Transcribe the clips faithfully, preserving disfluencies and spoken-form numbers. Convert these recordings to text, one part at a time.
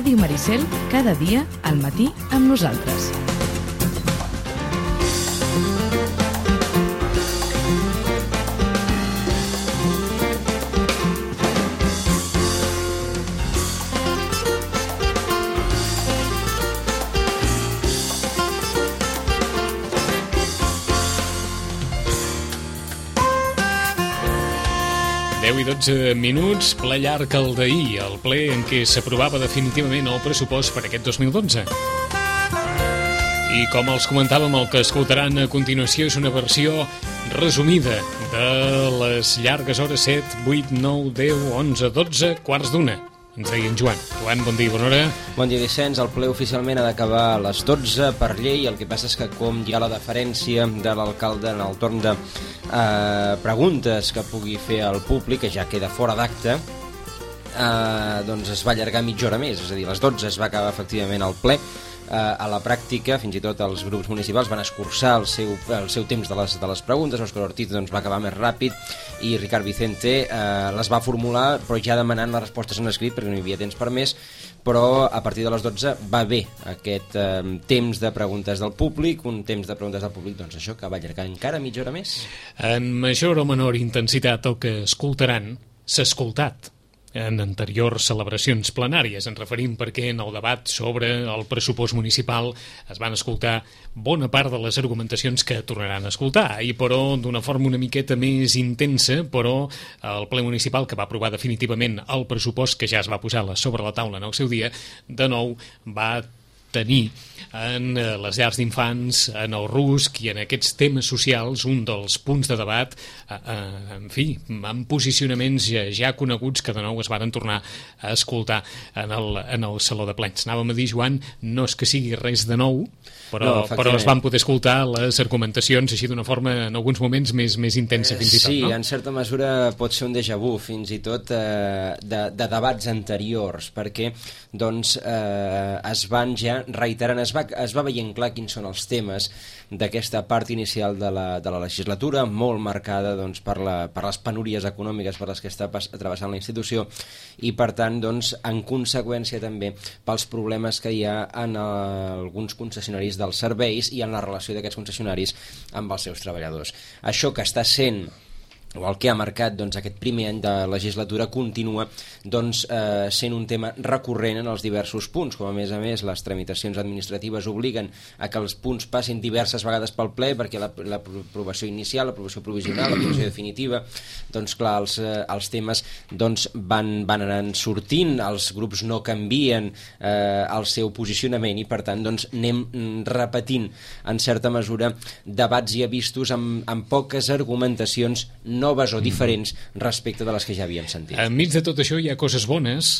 Ràdio Maricel, cada dia al matí amb nosaltres. deu i dotze minuts, ple llarg el d'ahir, el ple en què s'aprovava definitivament el pressupost per aquest dos mil dotze. I com els comentàvem, el que escoltaran a continuació és una versió resumida de les llargues hores set, vuit, nou, deu, onze, dotze, quarts d'una. Ens deia en Joan. Joan, bon dia, bona hora. Bon dia, Vicenç. El ple oficialment ha d'acabar a les dotze per llei. El que passa és que com hi ha la deferència de l'alcalde en el torn de eh, preguntes que pugui fer al públic, que ja queda fora d'acte, eh, doncs es va allargar mitja hora més. És a dir, a les dotze es va acabar efectivament el ple. A la pràctica, fins i tot els grups municipals van escurçar el seu, el seu temps de les, de les preguntes. Òscar Ortiz doncs, va acabar més ràpid i Ricard Vicente eh, les va formular, però ja demanant les respostes en escrit perquè no hi havia temps per més. Però a partir de les dotze va bé aquest eh, temps de preguntes del públic, un temps de preguntes del públic, doncs això, que va allargar encara mitja hora més. En major o menor intensitat el que escoltaran s'ha escoltat en anteriors celebracions plenàries. Ens referim perquè en el debat sobre el pressupost municipal es van escoltar bona part de les argumentacions que tornaran a escoltar, i però d'una forma una miqueta més intensa, però el ple municipal que va aprovar definitivament el pressupost que ja es va posar sobre la taula en el seu dia, de nou va tenir en les llars d'infants, en el rusc i en aquests temes socials un dels punts de debat, eh, eh, en fi, amb posicionaments ja, ja coneguts que de nou es varen tornar a escoltar en el, en el Saló de Plens. Anàvem a dir, Joan, no és que sigui res de nou, però, no, però es van poder escoltar les argumentacions així d'una forma en alguns moments més, més intensa fins i tot, sí, no? Sí, en certa mesura pot ser un déjà vu fins i tot eh, de, de debats anteriors, perquè doncs eh, es van ja reiterant, es va, es va veient clar quins són els temes d'aquesta part inicial de la, de la legislatura, molt marcada doncs, per, la, per les penúries econòmiques per les que està pas, travessant la institució, i per tant, doncs, en conseqüència també pels problemes que hi ha en uh, alguns concessionaris dels serveis i en la relació d'aquests concessionaris amb els seus treballadors. Això que està sent o el que ha marcat doncs, aquest primer any de legislatura continua doncs, eh, sent un tema recurrent en els diversos punts, com a més a més les tramitacions administratives obliguen a que els punts passin diverses vegades pel ple, perquè l'aprovació inicial, l'aprovació provisional, l'aprovació definitiva, doncs clar, els, eh, els temes doncs, van, van anant sortint, els grups no canvien eh, el seu posicionament i per tant doncs, anem repetint en certa mesura debats ja vistos amb, amb poques argumentacions noves o diferents respecte de les que ja havíem sentit. Enmig de tot això hi ha coses bones,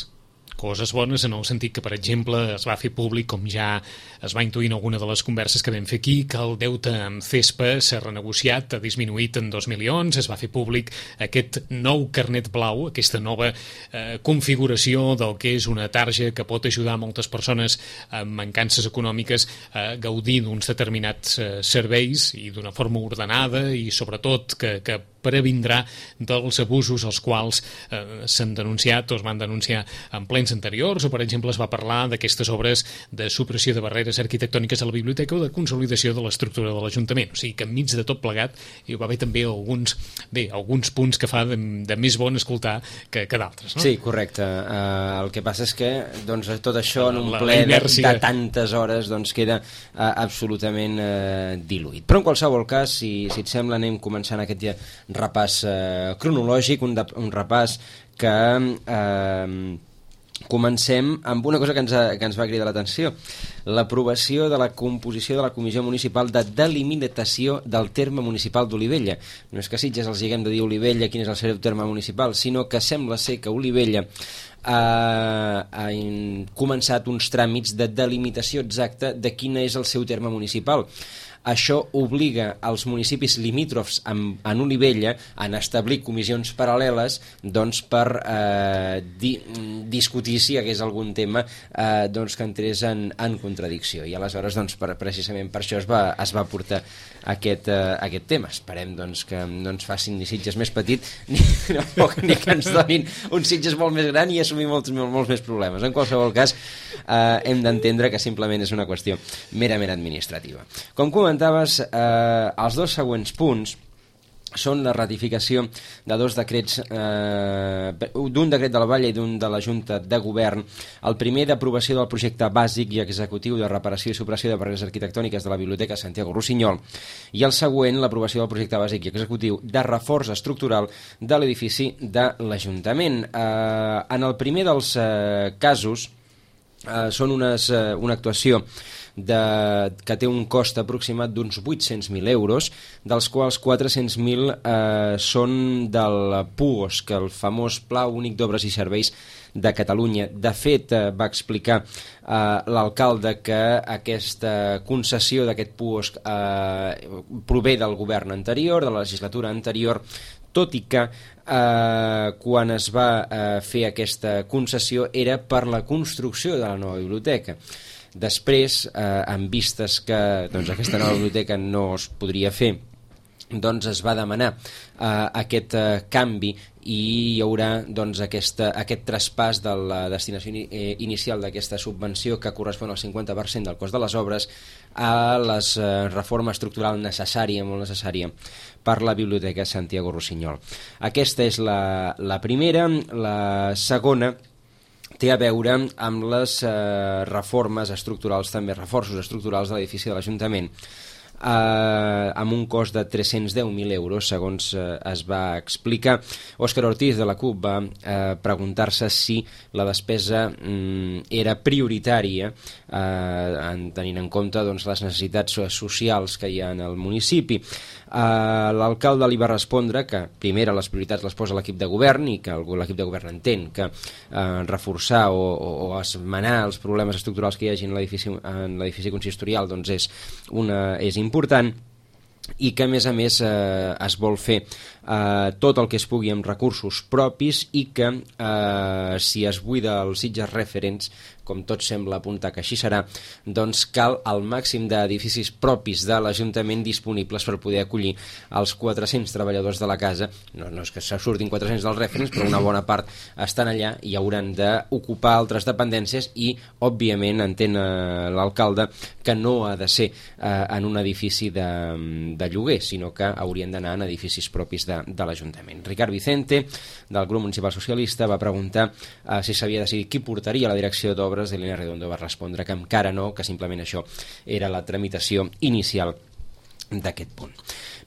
coses bones en el sentit que, per exemple, es va fer públic, com ja es va intuir en alguna de les converses que vam fer aquí, que el deute amb CESPA s'ha renegociat, ha disminuït en dos milions, es va fer públic aquest nou carnet blau, aquesta nova eh, configuració del que és una tarja que pot ajudar moltes persones amb mancances econòmiques a gaudir d'uns determinats eh, serveis i d'una forma ordenada i sobretot que, que previndrà dels abusos als quals eh, s'han denunciat o es van denunciar en plens anteriors, o per exemple es va parlar d'aquestes obres de supressió de barreres arquitectòniques a la biblioteca o de consolidació de l'estructura de l'Ajuntament. O sigui que enmig de tot plegat hi va haver també alguns, bé, alguns punts que fa de, de més bon escoltar que, que d'altres, no? Sí, correcte. Uh, el que passa és que doncs, tot això en un la, ple la de, de tantes hores doncs, queda uh, absolutament uh, diluït. Però en qualsevol cas, si, si et sembla, anem començant aquest dia repàs eh, cronològic, un, de, un repàs que eh, comencem amb una cosa que ens, ha, que ens va cridar l'atenció, l'aprovació de la composició de la Comissió Municipal de Delimitació del terme municipal d'Olivella. No és que Sitges els haguem de dir Olivella quin és el seu terme municipal, sinó que sembla ser que Olivella ha, ha començat uns tràmits de delimitació exacta de quin és el seu terme municipal. Això obliga als municipis limítrofs en, en Olivella a establir comissions paral·leles doncs, per eh, di, discutir si hi hagués algun tema eh, doncs, que entrés en, en contradicció. I aleshores, doncs, per, precisament per això es va, es va portar aquest, eh, aquest tema. Esperem doncs, que no ens facin ni Sitges més petit ni, no, ni que ens donin un Sitges molt més gran i assumir molts, molts més problemes. En qualsevol cas, eh, hem d'entendre que simplement és una qüestió merament administrativa. Com comentaves, eh, els dos següents punts són la ratificació de dos decrets, eh, d'un decret de la Vall i d'un de la Junta de Govern. El primer d'aprovació del projecte bàsic i executiu de reparació i supressió de barreres arquitectòniques de la Biblioteca Santiago Rossinyol, i el següent, l'aprovació del projecte bàsic i executiu de reforç estructural de l'edifici de l'Ajuntament. Eh, en el primer dels eh, casos eh, són unes, eh, una actuació De, que té un cost aproximat d'uns vuit-cents mil euros, dels quals quatre-cents mil eh, són del P U O S, que el famós Pla Únic d'Obres i Serveis de Catalunya. De fet, eh, va explicar eh, l'alcalde que aquesta concessió d'aquest P U O S eh, prové del govern anterior, de la legislatura anterior, tot i que eh, quan es va eh, fer aquesta concessió era per la construcció de la nova biblioteca. Després, eh, en vistes que doncs, aquesta nova biblioteca no es podria fer, doncs es va demanar eh, aquest eh, canvi i hi haurà doncs, aquesta, aquest traspàs de la destinació in, eh, inicial d'aquesta subvenció, que correspon al cinquanta per cent del cost de les obres, a les eh, reforma estructural necessària, molt necessària, per la Biblioteca Santiago Rossinyol. Aquesta és la, la primera. La segona té a veure amb les eh, reformes estructurals, també reforços estructurals de l'edifici de l'Ajuntament, eh, amb un cost de tres-cents deu mil euros, segons eh, es va explicar. Òscar Ortiz, de la CUP, va eh, preguntar-se si la despesa mm, era prioritària, eh, en, tenint en compte doncs, les necessitats socials que hi ha en el municipi. Uh, l'alcalde li va respondre que primer les prioritats les posa l'equip de govern i que l'equip de govern entén que uh, reforçar o, o, o esmenar els problemes estructurals que hi hagi en l'edifici en l'edifici consistorial doncs és, una, és important, i que a més a més eh, es vol fer eh, tot el que es pugui amb recursos propis, i que eh, si es buida els Sitges Referents, com tot sembla apuntar que així serà, doncs cal el màxim d'edificis propis de l'Ajuntament disponibles per poder acollir els quatre-cents treballadors de la casa. No, no és que se surtin quatre-cents dels Referents, però una bona part estan allà i hauran d'ocupar altres dependències, i òbviament entén eh, l'alcalde que no ha de ser eh, en un edifici de, de lloguer, sinó que haurien d'anar en edificis propis de, de l'Ajuntament. Ricard Vicente, del grup municipal socialista, va preguntar eh, si s'havia decidit qui portaria la direcció d'obres. Elena Redondo va respondre que encara no, que simplement això era la tramitació inicial d'aquest punt.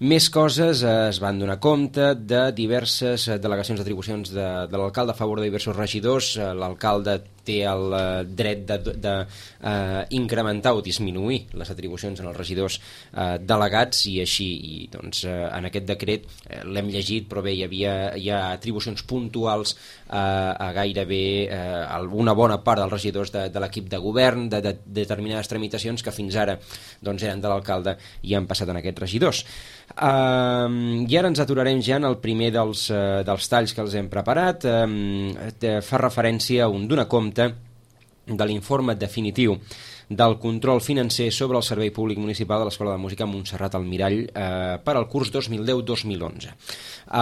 Més coses, eh, es van donar compte de diverses delegacions d'atribucions de, de l'alcalde a favor de diversos regidors. Eh, l'alcalde té el eh, dret de, de, de eh, incrementar o disminuir les atribucions en els regidors eh, delegats, i així i, doncs, eh, en aquest decret eh, l'hem llegit, però bé, hi havia hi ha atribucions puntuals eh, a gairebé eh, una bona part dels regidors de, de l'equip de govern, de, de, de determinades tramitacions que fins ara doncs, eren de l'alcalde i han passat en aquests regidors. Uh, I ara ens aturarem ja en el primer dels, uh, dels talls que els hem preparat. Uh, fa referència a un donar compte de l'informe definitiu del control financer sobre el servei públic municipal de l'Escola de Música Montserrat Almirall eh, per al curs dos mil deu dos mil onze. Eh,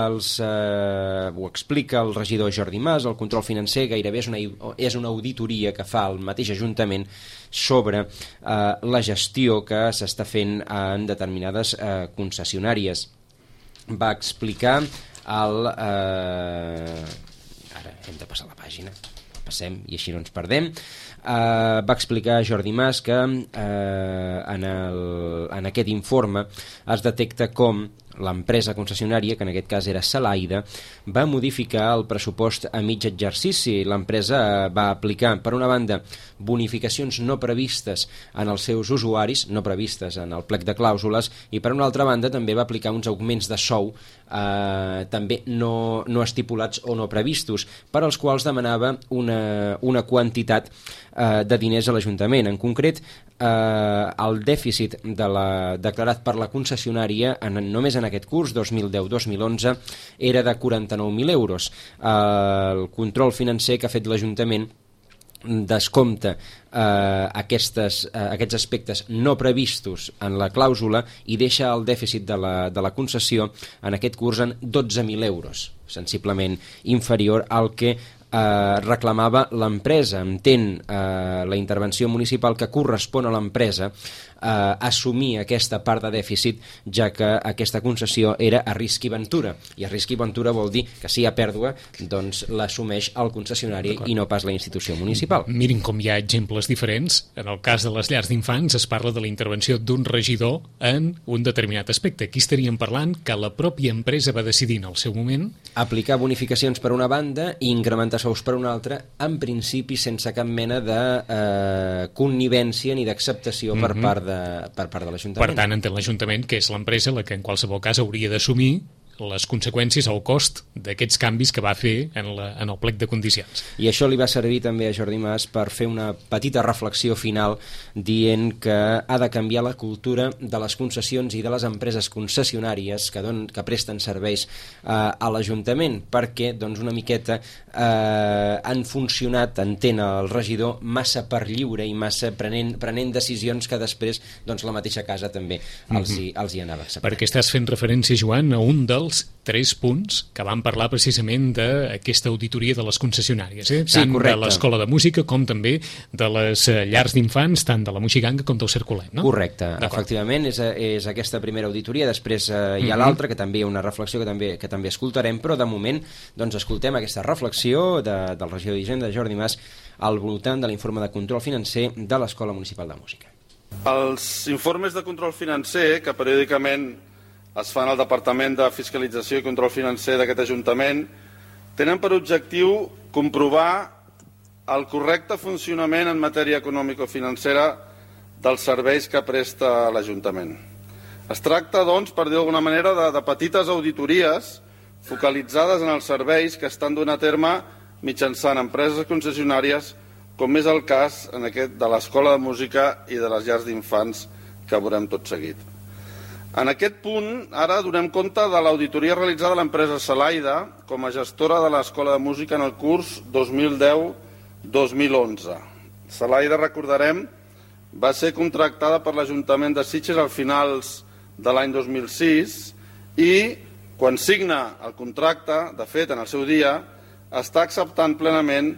els, eh, ho explica el regidor Jordi Mas. El control financer gairebé és una, és una auditoria que fa el mateix Ajuntament sobre eh, la gestió que s'està fent en determinades eh, concessionàries. Va explicar el... Eh... Ara hem de passar la pàgina, passem i així no ens perdem. Uh, va explicar Jordi Mas que uh, en, el, en aquest informe es detecta com l'empresa concessionària, que en aquest cas era Salaida, va modificar el pressupost a mig exercici. L'empresa va aplicar, per una banda, bonificacions no previstes en els seus usuaris, no previstes en el plec de clàusules, i per una altra banda també va aplicar uns augments de sou eh, també no, no estipulats o no previstos, per als quals demanava una, una quantitat eh, de diners a l'Ajuntament. En concret, eh, el dèficit de la, declarat per la concessionària en, només en aquest curs dos mil deu dos mil onze era de quaranta-nou mil euros. Eh, el control financer que ha fet l'Ajuntament descompta eh, aquestes, eh, aquests aspectes no previstos en la clàusula i deixa el dèficit de la, de la concessió en aquest curs en dotze mil euros, sensiblement inferior al que eh, reclamava l'empresa. Entén eh, la intervenció municipal que correspon a l'empresa eh, assumir aquesta part de dèficit, ja que aquesta concessió era a risc i ventura, i a risc i ventura vol dir que si hi ha pèrdua, doncs l'assumeix el concessionari i no pas la institució municipal. Mirin com hi ha exemples diferents. En el cas de les llars d'infants es parla de la intervenció d'un regidor en un determinat aspecte. Aquí estaríem parlant que la pròpia empresa va decidir en el seu moment aplicar bonificacions per una banda i incrementar sous per una altra, en principi sense cap mena de eh, connivència ni d'acceptació mm-hmm. per part de, per part de l'Ajuntament. Per tant, entén l'Ajuntament que és l'empresa la que en qualsevol cas hauria d'assumir les conseqüències o el cost d'aquests canvis que va fer en, la, en el plec de condicions. I això li va servir també a Jordi Mas per fer una petita reflexió final dient que ha de canviar la cultura de les concessions i de les empreses concessionàries que, don, que presten serveis eh, a l'Ajuntament, perquè doncs, una miqueta eh, han funcionat, entén el regidor, massa per lliure i massa prenent, prenent decisions que després doncs, la mateixa casa també els hi, els hi anava acceptant. Perquè estàs fent referència, Joan, a un dels tres punts que van parlar precisament d'aquesta auditoria de les concessionàries, eh? Sí, tant correcte. de l'Escola de Música com també de les llars d'infants, tant de la Moixiganga com del Cercolet, no? Correcte, efectivament, és, és aquesta primera auditoria, després eh, hi ha mm-hmm. l'altra, que també hi ha una reflexió que també, que també escoltarem, però de moment doncs, escoltem aquesta reflexió de, del regidor d'Hisenda, Jordi Mas, al voltant de l'informe de control financer de l'Escola Municipal de Música. Els informes de control financer que periòdicament es fan al Departament de Fiscalització i Control Financer d'aquest Ajuntament tenen per objectiu comprovar el correcte funcionament en matèria econòmico-financera dels serveis que presta l'Ajuntament. Es tracta, doncs, per dir d'alguna manera, de, de petites auditories focalitzades en els serveis que estan donant a terme mitjançant empreses concessionàries, com és el cas en aquest de l'Escola de Música i de les llars d'infants que veurem tot seguit. En aquest punt, ara donem compte de l'auditoria realitzada a l'empresa Salaida com a gestora de l'Escola de Música en el curs dos mil deu dos mil onze. Salaida, recordarem, va ser contractada per l'Ajuntament de Sitges al finals de l'any dos mil sis i, quan signa el contracte, de fet, en el seu dia, està acceptant plenament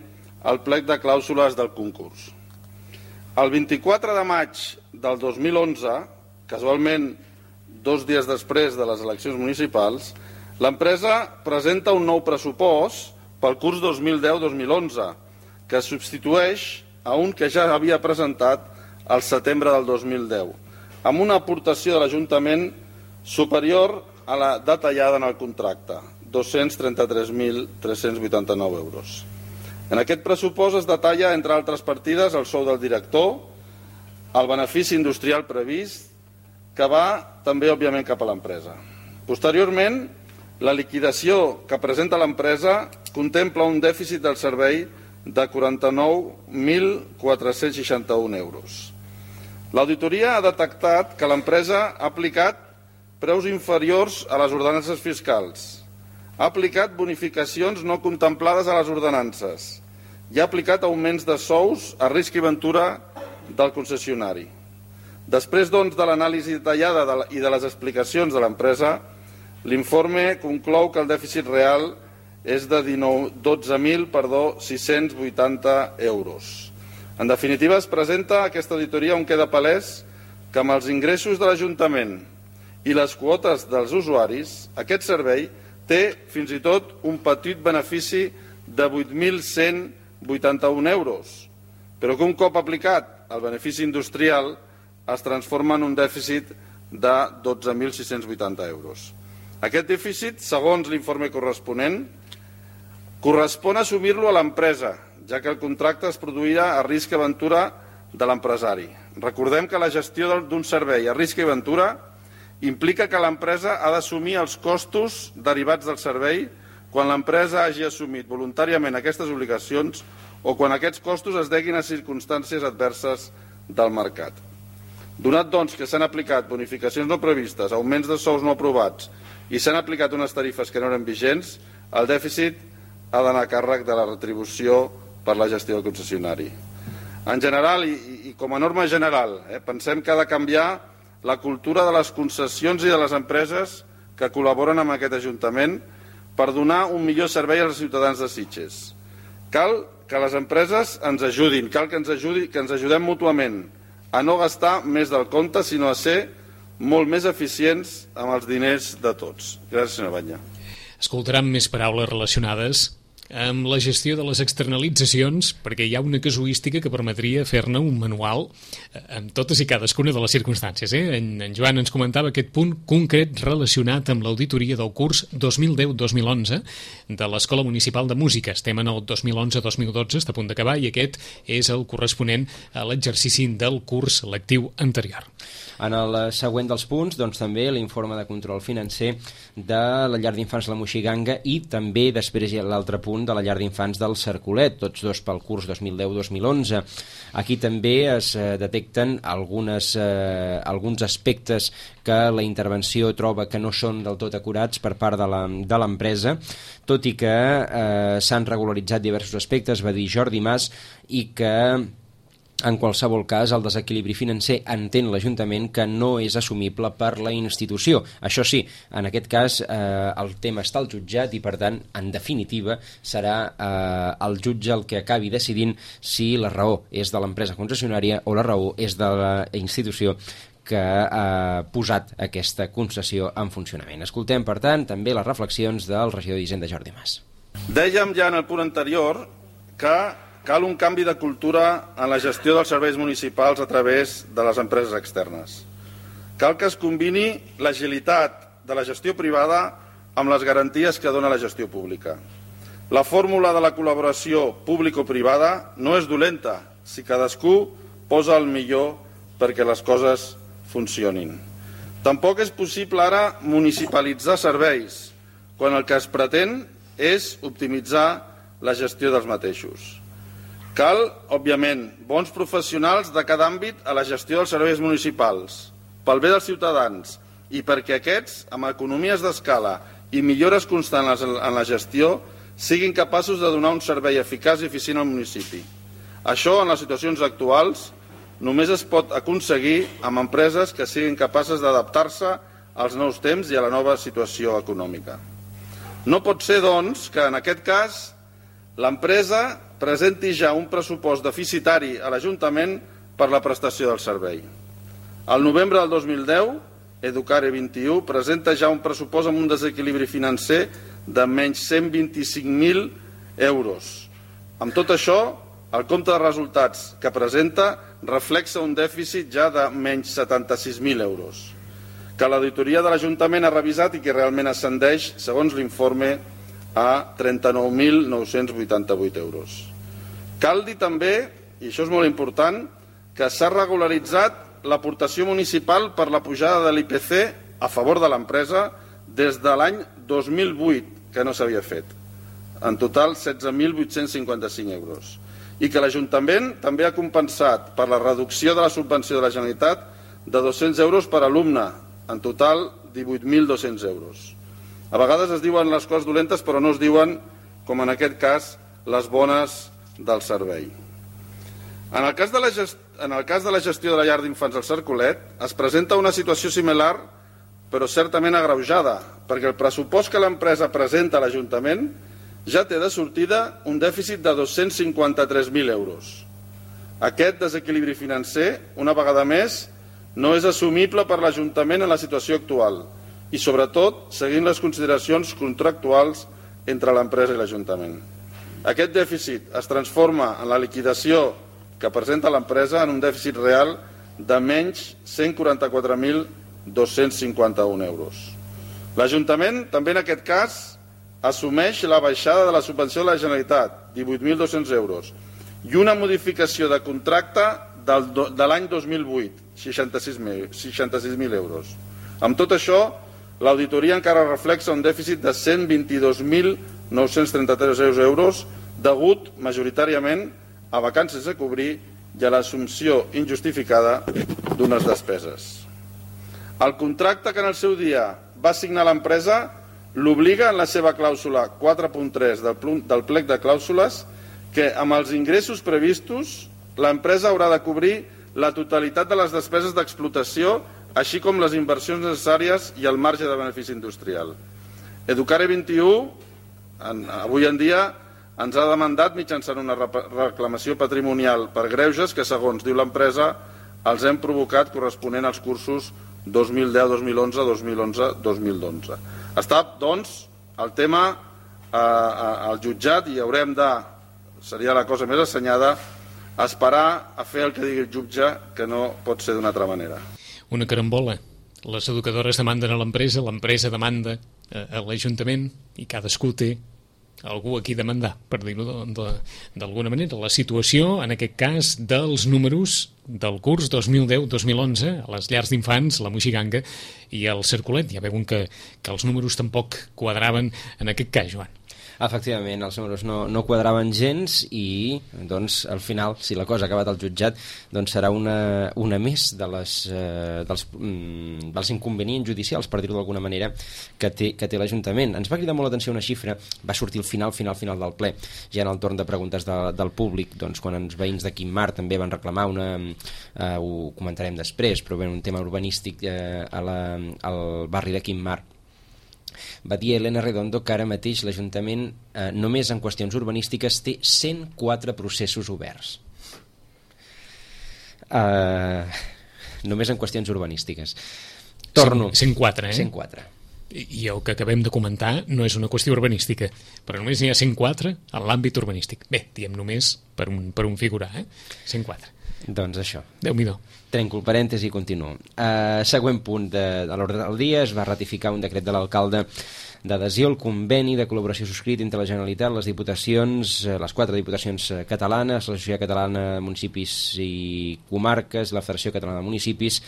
el plec de clàusules del concurs. El vint-i-quatre de maig del dos mil onze, casualment dos dies després de les eleccions municipals, l'empresa presenta un nou pressupost pel curs dos mil deu dos mil onze, que substitueix a un que ja havia presentat al setembre del dos mil deu, amb una aportació de l'Ajuntament superior a la detallada en el contracte, dos-cents trenta-tres mil tres-cents vuitanta-nou euros. En aquest pressupost es detalla, entre altres partides, el sou del director, el benefici industrial previst, que va també, òbviament, cap a l'empresa. Posteriorment, la liquidació que presenta l'empresa contempla un dèficit del servei de quaranta-nou mil quatre-cents seixanta-un euros. L'auditoria ha detectat que l'empresa ha aplicat preus inferiors a les ordenances fiscals, ha aplicat bonificacions no contemplades a les ordenances i ha aplicat augments de sous a risc i ventura del concessionari. Després, doncs, de l'anàlisi detallada de la, i de les explicacions de l'empresa, l'informe conclou que el dèficit real és de dotze mil sis-cents vuitanta euros. En definitiva, es presenta aquesta auditoria on queda palès que amb els ingressos de l'Ajuntament i les quotes dels usuaris, aquest servei té fins i tot un petit benefici de vuit mil cent vuitanta-un euros, però que un cop aplicat el benefici industrial es transforma en un dèficit de dotze mil sis-cents vuitanta euros. Aquest dèficit, segons l'informe corresponent, correspon assumir-lo a l'empresa, ja que el contracte es produirà a risc i aventura de l'empresari. Recordem que la gestió d'un servei a risc i aventura implica que l'empresa ha d'assumir els costos derivats del servei quan l'empresa hagi assumit voluntàriament aquestes obligacions o quan aquests costos es deguin a circumstàncies adverses del mercat. Donat, doncs, que s'han aplicat bonificacions no previstes, augments de sous no aprovats i s'han aplicat unes tarifes que no eren vigents, el dèficit ha d'anar a càrrec de la retribució per la gestió del concessionari. En general, i, i com a norma general, eh, pensem que ha de canviar la cultura de les concessions i de les empreses que col·laboren amb aquest Ajuntament per donar un millor servei als ciutadans de Sitges. Cal que les empreses ens ajudin, cal que ens, ajudi, que ens ajudem mútuament a no gastar més del compte, sinó a ser molt més eficients amb els diners de tots. Gràcies, senyor Batlle. Escoltaran més paraules relacionades amb la gestió de les externalitzacions, perquè hi ha una casuística que permetria fer-ne un manual amb totes i cadascuna de les circumstàncies. Eh? En, en Joan ens comentava aquest punt concret relacionat amb l'auditoria del curs dos mil deu dos mil onze de l'Escola Municipal de Música. Estem en el dos mil onze dos mil dotze, està a punt d'acabar, i aquest és el corresponent a l'exercici del curs lectiu anterior. En el següent dels punts, doncs, també l'informe de control financer de la llar d'infants La Moixiganga i també després hi ha l'altre punt de la llar d'infants del Cercolet, tots dos pel curs dos mil deu dos mil onze. Aquí també es eh, detecten algunes, eh, alguns aspectes que la intervenció troba que no són del tot acurats per part de l'empresa, tot i que eh, s'han regularitzat diversos aspectes, va dir Jordi Mas, i que en qualsevol cas, el desequilibri financer entén l'Ajuntament que no és assumible per la institució. Això sí, en aquest cas eh, el tema està al jutjat i, per tant, en definitiva, serà eh, el jutge el que acabi decidint si la raó és de l'empresa concessionària o la raó és de la institució que ha posat aquesta concessió en funcionament. Escoltem, per tant, també les reflexions del regidor d'Hisenda, Jordi Mas. Dèiem ja en el punt anterior que cal un canvi de cultura en la gestió dels serveis municipals a través de les empreses externes. Cal que es combini l'agilitat de la gestió privada amb les garanties que dona la gestió pública. La fórmula de la col·laboració público-privada no és dolenta si cadascú posa el millor perquè les coses funcionin. Tampoc és possible ara municipalitzar serveis, quan el que es pretén és optimitzar la gestió dels mateixos. Cal, òbviament, bons professionals de cada àmbit a la gestió dels serveis municipals, pel bé dels ciutadans i perquè aquests, amb economies d'escala i millores constants en la gestió, siguin capaços de donar un servei eficaç i eficient al municipi. Això, en les situacions actuals, només es pot aconseguir amb empreses que siguin capaces d'adaptar-se als nous temps i a la nova situació econòmica. No pot ser, doncs, que en aquest cas l'empresa presenti ja un pressupost deficitari a l'Ajuntament per la prestació del servei. Al novembre del dos mil deu, Educare vint i u presenta ja un pressupost amb un desequilibri financer de menys cent vint-i-cinc mil euros. Amb tot això, el compte de resultats que presenta reflexa un dèficit ja de menys setanta-sis mil euros, que l'auditoria de l'Ajuntament ha revisat i que realment ascendeix, segons l'informe, a trenta-nou mil nou-cents vuitanta-vuit euros. Cal dir també, i això és molt important, que s'ha regularitzat l'aportació municipal per la pujada de l'I P C a favor de l'empresa des de l'any dos mil vuit, que no s'havia fet. En total, setze mil vuit-cents cinquanta-cinc euros. I que l'Ajuntament també ha compensat per la reducció de la subvenció de la Generalitat de dos-cents euros per alumne, en total divuit mil dos-cents euros. A vegades es diuen les coses dolentes, però no es diuen, com en aquest cas, les bones del servei. En el cas de la, gest... en el cas de la gestió de la llar d'infants al Cercolet, es presenta una situació similar, però certament agreujada, perquè el pressupost que l'empresa presenta a l'Ajuntament ja té de sortida un dèficit de dos-cents cinquanta-tres mil euros. Aquest desequilibri financer, una vegada més, no és assumible per l'Ajuntament en la situació actual, i sobretot seguint les consideracions contractuals entre l'empresa i l'Ajuntament. Aquest dèficit es transforma en la liquidació que presenta l'empresa en un dèficit real de menys cent quaranta-quatre mil dos-cents cinquanta-un euros. L'Ajuntament, també en aquest cas, assumeix la baixada de la subvenció de la Generalitat, divuit mil dos-cents euros, i una modificació de contracte del, de l'any dos mil vuit, seixanta-sis mil euros. Amb tot això, l'auditoria encara reflexa un dèficit de cent vint-i-dos mil nou-cents trenta-tres euros degut majoritàriament a vacances a cobrir i a l'assumpció injustificada d'unes despeses. El contracte que en el seu dia va signar l'empresa l'obliga en la seva clàusula quatre punt tres del plec de clàusules que amb els ingressos previstos l'empresa haurà de cobrir la totalitat de les despeses d'explotació així com les inversions necessàries i el marge de benefici industrial. Educare vint i u, en, avui en dia, ens ha demandat mitjançant una reclamació patrimonial per greuges que, segons diu l'empresa, els hem provocat corresponent als cursos dos mil deu dos mil onze, dos mil onze dos mil dotze. Està, doncs, el tema eh, al jutjat i haurem de, seria la cosa més assenyada, esperar a fer el que digui el jutge, que no pot ser d'una altra manera. Una carambola. Les educadores demanden a l'empresa, l'empresa demanda a l'Ajuntament i cadascú té algú a qui demandar, per dir-ho d'alguna manera. La situació, en aquest cas, dels números del curs dos mil deu dos mil onze a les llars d'infants, la Moixiganga i el Cercolet. Ja veuen que, que els números tampoc quadraven en aquest cas, Joan. Efectivament, els números no, no quadraven gens i, doncs, al final, si la cosa ha acabat al jutjat, doncs serà una, una més de les, eh, dels, mm, dels inconvenients judicials, per dir-ho d'alguna manera, que té, que té l'Ajuntament. Ens va cridar molt l'atenció una xifra, va sortir al final, final, final del ple, ja en el torn de preguntes de, del públic, doncs, quan els veïns de Quim-Mar també van reclamar una... Eh, ho comentarem després, però bé, un tema urbanístic eh, a la, al barri de Quim-Mar. Va dir Elena Redondo que ara mateix l'Ajuntament eh, només en qüestions urbanístiques té cent quatre processos oberts. Uh, només en qüestions urbanístiques. Torno. cent quatre, eh? cent quatre. I, I el que acabem de comentar no és una qüestió urbanística, però només n'hi ha cent quatre en l'àmbit urbanístic. Bé, diem només per un, per un figurar, eh? cent quatre. Doncs això. Déu-n'hi-do. Trenco el parèntesi i continuo. Uh, següent punt de, de l'ordre del dia, es va ratificar un decret de l'alcalde d'adhesió al conveni de col·laboració subscrit entre la Generalitat, les diputacions, les quatre diputacions catalanes, la Societat Catalana de Municipis i Comarques, la Federació Catalana de Municipis,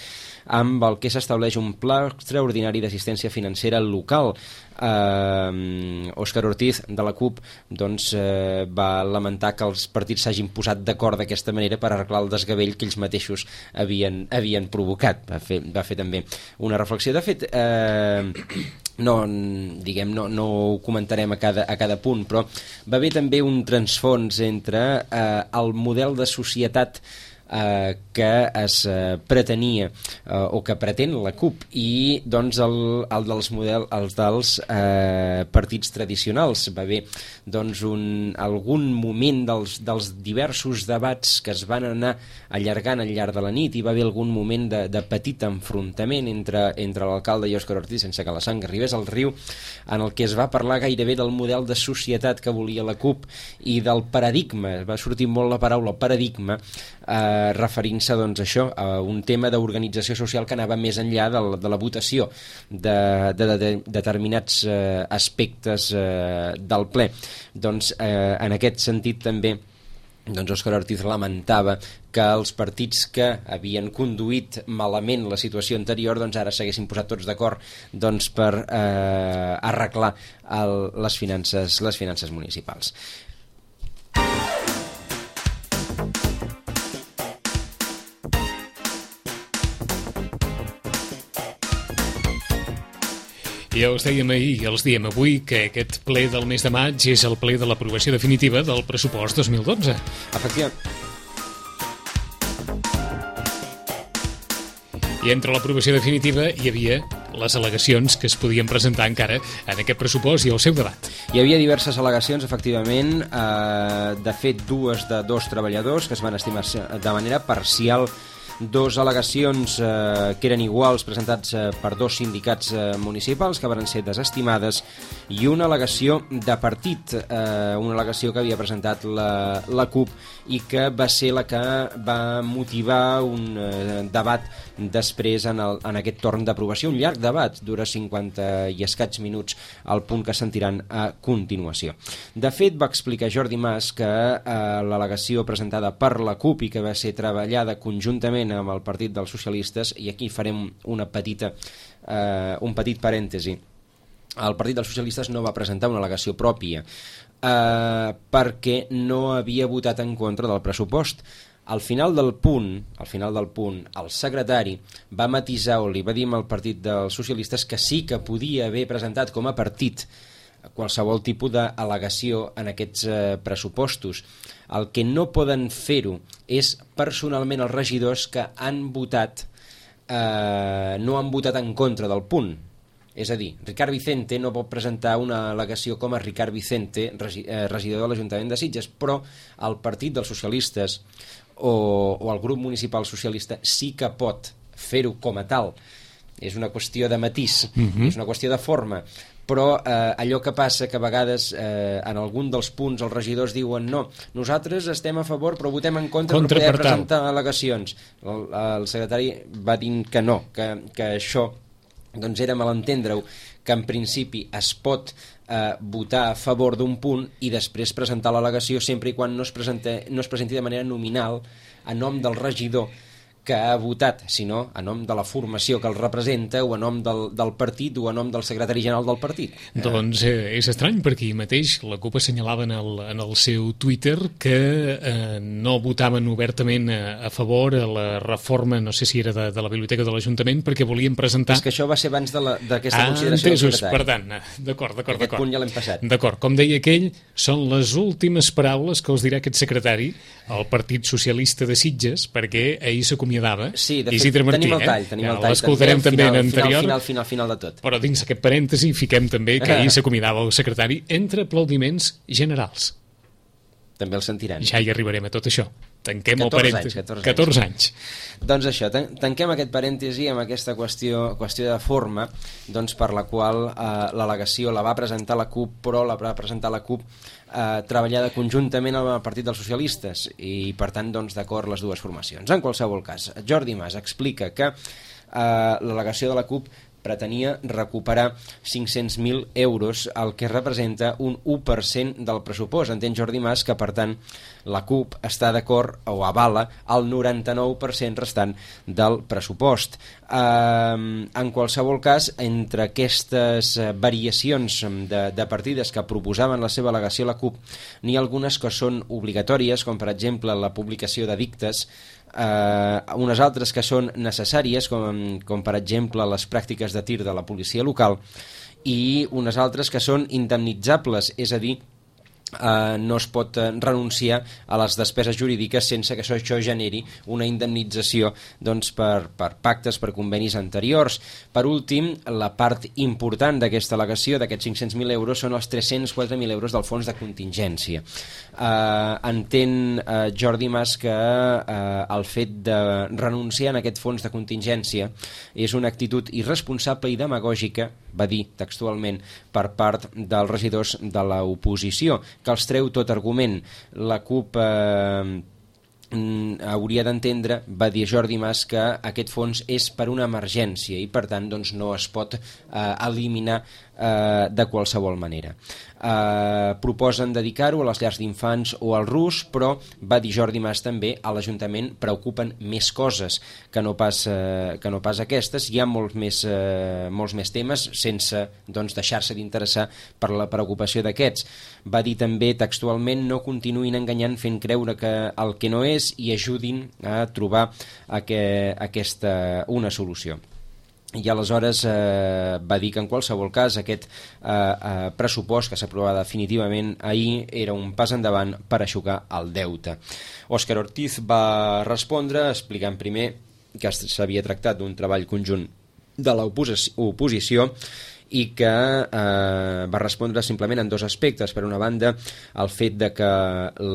amb el que s'estableix un pla extraordinari d'assistència financera local. Eh, Òscar Ortiz, de la CUP, doncs, eh, va lamentar que els partits s'hagin posat d'acord d'aquesta manera per arreglar el desgavell que ells mateixos havien, havien provocat. Va fer, va fer també una reflexió. De fet, eh, no, diguem, no, no ho comentarem a cada, a cada punt, però va haver també un transfons entre eh, el model de societat Eh, que es eh, pretenia eh, o que pretén la CUP i doncs el, el dels, model, els dels eh, partits tradicionals. Va haver doncs, un, algun moment dels, dels diversos debats que es van anar allargant al llarg de la nit, i va haver algun moment de, de petit enfrontament entre, entre l'alcalde i Òscar Ortiz, sense que la sang arribés al riu, en el que es va parlar gairebé del model de societat que volia la CUP i del paradigma. Va sortir molt la paraula paradigma, eh, referint-se doncs, a això, a un tema d'organització social que anava més enllà de la, de la votació de, de, de, de determinats eh, aspectes eh, del ple. Doncs eh, en aquest sentit també doncs Òscar Ortiz lamentava que els partits que havien conduït malament la situació anterior doncs ara s'haguessin posat tots d'acord doncs, per eh, arreglar el, les finances, les finances municipals. Ja us dèiem ahir i els diem avui que aquest ple del mes de maig és el ple de l'aprovació definitiva del pressupost dos mil dotze. Efectivament. I entre l'aprovació definitiva hi havia les al·legacions que es podien presentar encara en aquest pressupost i el seu debat. Hi havia diverses al·legacions, efectivament, eh, de fet dues de dos treballadors que es van estimar de manera parcial, dos al·legacions eh, que eren iguals presentats eh, per dos sindicats eh, municipals que van ser desestimades, i una al·legació de partit, eh, una al·legació que havia presentat la, la CUP i que va ser la que va motivar un eh, debat després en, el, en aquest torn d'aprovació, un llarg debat, dura cinquanta i escaig minuts, al punt que sentiran a continuació. De fet, va explicar Jordi Mas que eh, l'al·legació presentada per la CUP i que va ser treballada conjuntament amb el Partit dels Socialistes, i aquí farem una petita, eh, un petit parèntesi, el Partit dels Socialistes no va presentar una al·legació pròpia eh, perquè no havia votat en contra del pressupost. Al final del punt, al final del punt, el secretari va matisar o li va dir al Partit dels Socialistes que sí que podia haver presentat com a partit qualsevol tipus d'al·legació en aquests eh, pressupostos. El que no poden fer-ho és personalment els regidors que han votat, eh, no han votat en contra del punt. És a dir, Ricard Vicente no pot presentar una al·legació com a Ricard Vicente, regi eh, regidor de l'Ajuntament de Sitges, però el Partit dels Socialistes o, o el grup municipal socialista sí que pot fer-ho com a tal. És una qüestió de matís, uh-huh. és una qüestió de forma, però eh, allò que passa que a vegades eh, en algun dels punts els regidors diuen no, nosaltres estem a favor però votem en contra, contra per poder per presentar al·legacions. El, el secretari va dir que no, que, que això doncs era malentendre-ho, que en principi es pot eh, votar a favor d'un punt i després presentar l'al·legació sempre i quan no es, presente, no es presenti de manera nominal a nom del regidor que ha votat, sinó a nom de la formació que el representa o a nom del, del partit o a nom del secretari general del partit. Doncs eh, és estrany perquè ahir mateix la CUP assenyalava en el, en el seu Twitter que eh, no votaven obertament a, a favor a la reforma, no sé si era de, de la biblioteca de l'Ajuntament, perquè volien presentar... És que això va ser abans d'aquesta ah, consideració entesos, del secretari. Per tant, d'acord, d'acord. Aquest punt ja l'hem passat. D'acord, com deia aquell, són les últimes paraules que us dirà aquest secretari al Partit Socialista de Sitges, perquè ahir s'acomiadava. Sí, de fet, Isidre Martí, tenim el tall, tenim eh? el tall. L'escoltarem també final, en anterior. Final, final, final de tot. Però dins aquest parèntesi fiquem també que ahir s'acomiadava el secretari entre aplaudiments generals. També el sentiran. Ja hi arribarem a tot això. Tanquem el parèntesi. Anys, catorze anys. Doncs això, tan tanquem aquest parèntesi amb aquesta qüestió, qüestió de forma, doncs per la qual eh, l'al·legació la va presentar la CUP, però la va presentar la CUP eh, treballada conjuntament amb el Partit dels Socialistes i per tant doncs d'acord les dues formacions. En qualsevol cas, Jordi Mas explica que eh, l'al·legació de la CUP pretenia recuperar cinc-cents mil euros, el que representa un u per cent del pressupost. Entén Jordi Mas que, per tant, la CUP està d'acord o avala el noranta-nou per cent restant del pressupost. Eh, en qualsevol cas, entre aquestes variacions de, de partides que proposaven la seva al·legació a la CUP, n'hi ha algunes que són obligatòries, com per exemple la publicació d'edictes, Uh, unes altres que són necessàries com, com per exemple les pràctiques de tir de la policia local i unes altres que són indemnitzables, és a dir Uh, no es pot uh, renunciar a les despeses jurídiques sense que això, això generi una indemnització doncs, per, per pactes, per convenis anteriors. Per últim, la part important d'aquesta al·legació, d'aquests cinc-cents mil euros, són els tres-cents quatre mil euros del fons de contingència. Uh, entén uh, Jordi Mas que uh, el fet de renunciar a aquest fons de contingència és una actitud irresponsable i demagògica, va dir textualment, per part dels regidors de l'oposició, que els treu tot argument. La CUP eh, hauria d'entendre, va dir Jordi Mas, que aquest fons és per una emergència i per tant doncs, no es pot eh, eliminar eh, de qualsevol manera. Eh, proposen dedicar-ho a les llars d'infants o al RUS, però va dir Jordi Mas també a l'Ajuntament preocupen més coses que no pas, eh, que no pas aquestes. Hi ha molts més, eh, molts més temes sense doncs, deixar-se d'interessar per la preocupació d'aquests. Va dir també textualment no continuïn enganyant fent creure que el que no és i ajudin a trobar aqu aquesta, una solució. I aleshores eh, va dir que en qualsevol cas aquest eh, eh, pressupost que s'aprovava definitivament ahir era un pas endavant per aixugar el deute. Òscar Ortiz va respondre explicant primer que s'havia tractat d'un treball conjunt de l'oposició i que eh, va respondre simplement en dos aspectes. Per una banda, el fet de que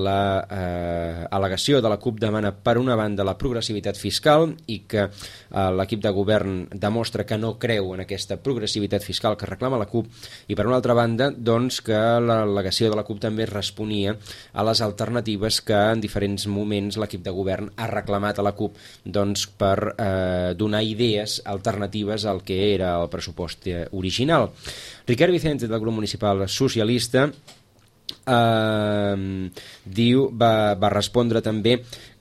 la eh, al·legació de la CUP demana per una banda la progressivitat fiscal i que eh, l'equip de govern demostra que no creu en aquesta progressivitat fiscal que reclama la CUP, i per una altra banda doncs, que l'al·legació de la CUP també responia a les alternatives que en diferents moments l'equip de govern ha reclamat a la CUP doncs, per eh, donar idees alternatives al que era el pressupost original. Ricard Vicente del grup municipal socialista eh, diu, va, va respondre també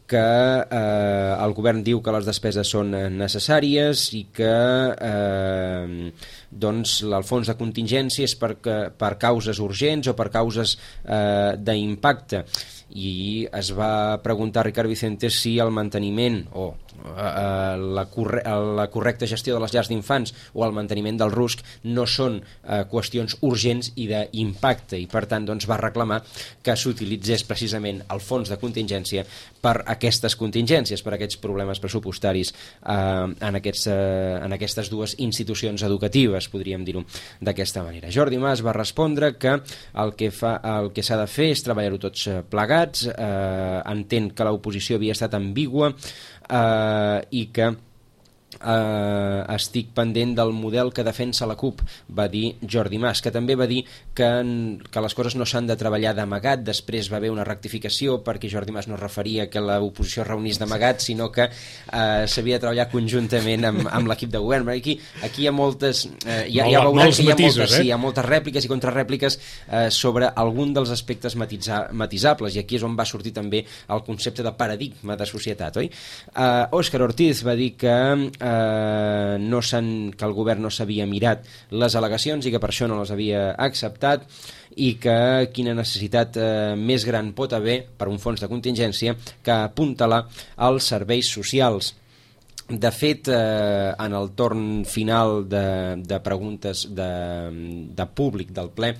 que eh, el govern diu que les despeses són necessàries i que eh, doncs, el fons de contingència és per, per causes urgents o per causes eh, d'impacte, i es va preguntar a Ricard Vicente si el manteniment o la, corre la correcta gestió de les llars d'infants o el manteniment del rusc no són eh, qüestions urgents i d'impacte, i per tant doncs, va reclamar que s'utilitzés precisament el fons de contingència per aquestes contingències, per aquests problemes pressupostaris eh, en, aquests, eh, en aquestes dues institucions educatives, podríem dir-ho d'aquesta manera. Jordi Mas va respondre que el que fa, el que s'ha de fer és treballar-ho tots plegats, eh, entén que l'oposició havia estat ambigua eh, i que Uh, estic pendent del model que defensa la CUP, va dir Jordi Mas, que també va dir que, que les coses no s'han de treballar d'amagat. Després va haver una rectificació perquè Jordi Mas no referia que l'oposició es reunís d'amagat, sinó que uh, s'havia de treballar conjuntament amb, amb l'equip de govern. Aquí, aquí hi ha moltes uh, ja, ja veurem que hi ha, matisos, moltes, eh? sí, hi ha moltes rèpliques i contrarèpliques uh, sobre algun dels aspectes matisa, matisables, i aquí és on va sortir també el concepte de paradigma de societat, oi? Uh, Òscar Ortiz va dir que uh, Uh, no que el govern no s'havia mirat les al·legacions i que per això no les havia acceptat, i que quina necessitat uh, més gran pot haver per un fons de contingència que apuntalar als serveis socials. De fet, eh, en el torn final de, de preguntes de, de públic del ple,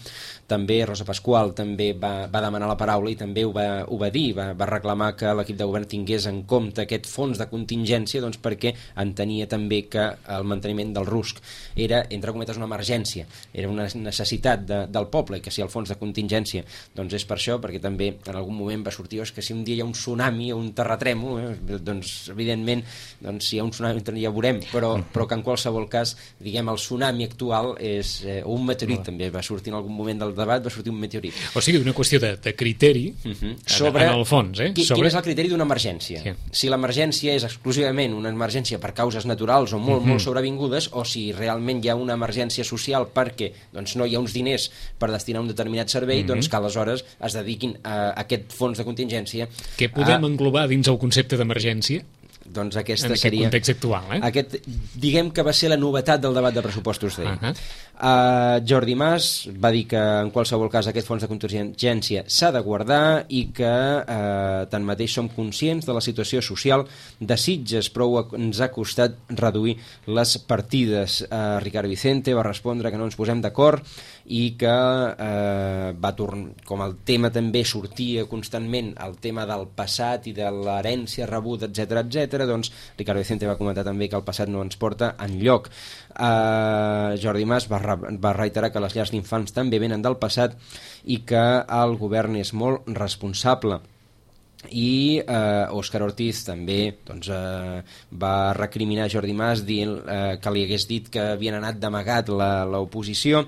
també Rosa Pasqual també va, va demanar la paraula i també ho va, ho va dir, va, va reclamar que l'equip de govern tingués en compte aquest fons de contingència, doncs perquè entenia també que el manteniment del rusc era, entre cometes, una emergència, era una necessitat de, del poble, i que si el fons de contingència doncs és per això, perquè també en algun moment va sortir oh, que si un dia hi ha un tsunami o un terratrèmol, eh, doncs evidentment doncs, si hi ha un tsunami ja veurem, però, però que en qualsevol cas, diguem, el tsunami actual és, eh, o un meteorit, també va sortir en algun moment del debat, va sortir un meteorit. O sigui, una qüestió de, de criteri uh -huh. sobre, en, en el fons, eh? Qui, sobre... Quin és el criteri d'una emergència? Sí. Si l'emergència és exclusivament una emergència per causes naturals o molt, uh -huh. molt sobrevingudes, o si realment hi ha una emergència social perquè doncs, no hi ha uns diners per destinar a un determinat servei, uh -huh. doncs que aleshores es dediquin a aquest fons de contingència. Què podem a... englobar dins el concepte d'emergència? Doncs aquesta en aquest seria context actual, eh? aquest, diguem que va ser la novetat del debat de pressupostos d'ahir. Uh -huh. uh, Jordi Mas va dir que en qualsevol cas aquest fons de contingència s'ha de guardar i que uh, tanmateix som conscients de la situació social de Sitges, però ens ha costat reduir les partides. uh, Ricardo Vicente va respondre que no ens posem d'acord i que eh, va tornar, com el tema també sortia constantment, el tema del passat i de l'herència rebuda, etcètera, etcètera, doncs Ricardo Vicente va comentar també que el passat no ens porta enlloc. Eh, Jordi Mas va, va reiterar que les llars d'infants també venen del passat i que el govern és molt responsable. I eh, Òscar Ortiz també doncs, eh, va recriminar Jordi Mas dient eh, que li hagués dit que havien anat d'amagat l'oposició,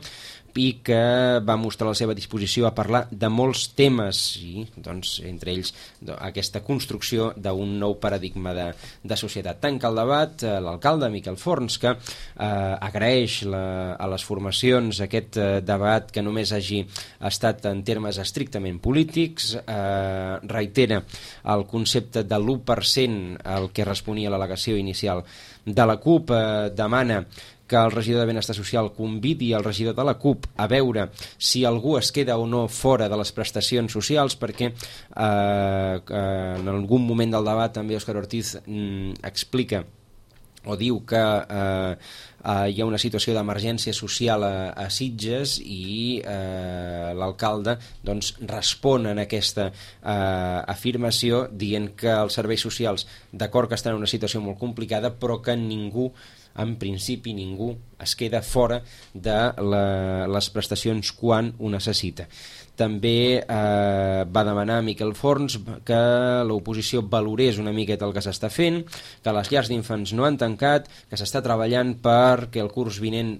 i que va mostrar la seva disposició a parlar de molts temes, i doncs, entre ells aquesta construcció d'un nou paradigma de, de societat. Tanca el debat eh, l'alcalde Miquel Forns, que eh, agraeix la, a les formacions aquest eh, debat que només hagi estat en termes estrictament polítics, eh, reitera el concepte de l'u per cent al que responia l'al·legació inicial de la CUP, eh, demana que el regidor de Benestar Social convidi el regidor de la CUP a veure si algú es queda o no fora de les prestacions socials, perquè eh, en algun moment del debat també Òscar Ortiz mm, explica o diu que eh, eh, hi ha una situació d'emergència social a, a Sitges i eh, l'alcalde doncs, respon en aquesta eh, afirmació dient que els serveis socials d'acord que estan en una situació molt complicada, però que ningú en principi ningú es queda fora de la, les prestacions quan ho necessita. També eh, va demanar a Miquel Forns que l'oposició valorés una miqueta el que s'està fent, que les llars d'infants no han tancat, que s'està treballant perquè el curs vinent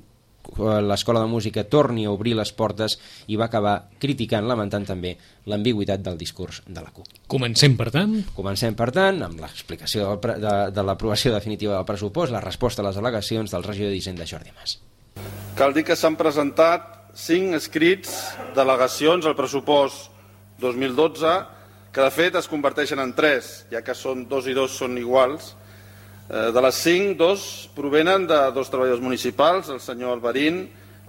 l'Escola de Música torni a obrir les portes, i va acabar criticant, lamentant també l'ambigüitat del discurs de la CUP. Comencem, per tant? Comencem, per tant, amb l'explicació de, de, de l'aprovació definitiva del pressupost, la resposta a les al·legacions del regidor d'Hisenda, Jordi Mas. Cal dir que s'han presentat cinc escrits d'al·legacions al pressupost dos mil dotze, que de fet es converteixen en tres, ja que són dos i dos són iguals. De les cinc, dos provenen de dos treballadors municipals, el senyor Alvarín,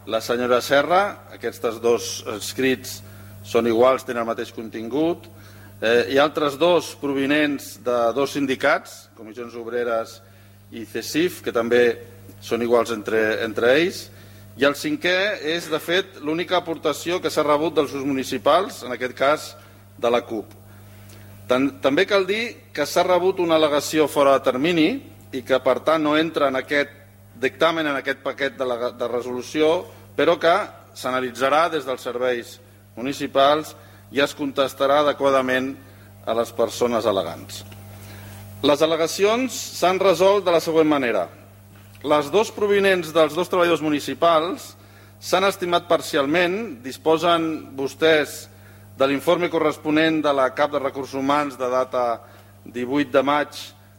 la senyora Serra. Aquests dos escrits són iguals, tenen el mateix contingut. Eh, hi ha altres dos provinents de dos sindicats, Comissions Obreres i C E S I F, que també són iguals entre, entre ells. I el cinquè és, de fet, l'única aportació que s'ha rebut dels grups municipals, en aquest cas de la CUP. També cal dir que s'ha rebut una al·legació fora de termini i que, per tant, no entra en aquest dictamen, en aquest paquet de, la, de resolució, però que s'analitzarà des dels serveis municipals i es contestarà adequadament a les persones al·legants. Les al·legacions s'han resolt de la següent manera. Les dos provinents dels dos treballadors municipals s'han estimat parcialment, disposen vostès de l'informe corresponent de la cap de recursos humans de data divuit de maig,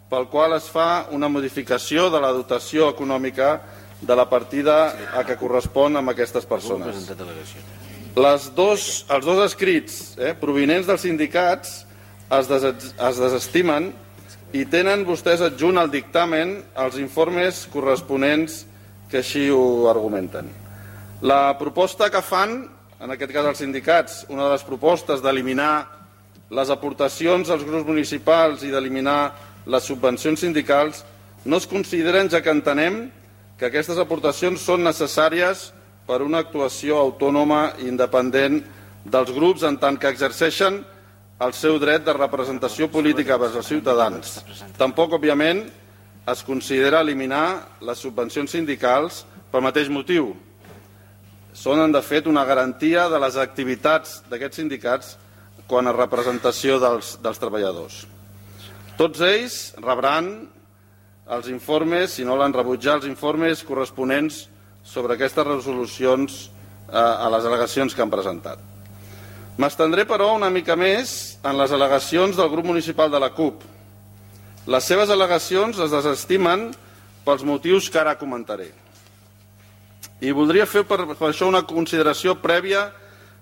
pel qual es fa una modificació de la dotació econòmica de la partida a què correspon amb aquestes persones. Les dos, els dos escrits eh, provinents dels sindicats es, des, es desestimen i tenen vostès adjunt al dictamen els informes corresponents que així ho argumenten. La proposta que fan, en aquest cas els sindicats, una de les propostes d'eliminar les aportacions als grups municipals i d'eliminar les subvencions sindicals, no es consideren, ja que entenem que aquestes aportacions són necessàries per una actuació autònoma i independent dels grups en tant que exerceixen el seu dret de representació política vers els ciutadans. Tampoc, òbviament, es considera eliminar les subvencions sindicals pel mateix motiu. Són, de fet, una garantia de les activitats d'aquests sindicats quan a representació dels, dels treballadors. Tots ells rebran els informes, si no l'han rebut ja, els informes corresponents sobre aquestes resolucions eh, a les al·legacions que han presentat. M'estendré, però, una mica més en les al·legacions del grup municipal de la CUP. Les seves al·legacions es desestimen pels motius que ara comentaré. I voldria fer per, per això una consideració prèvia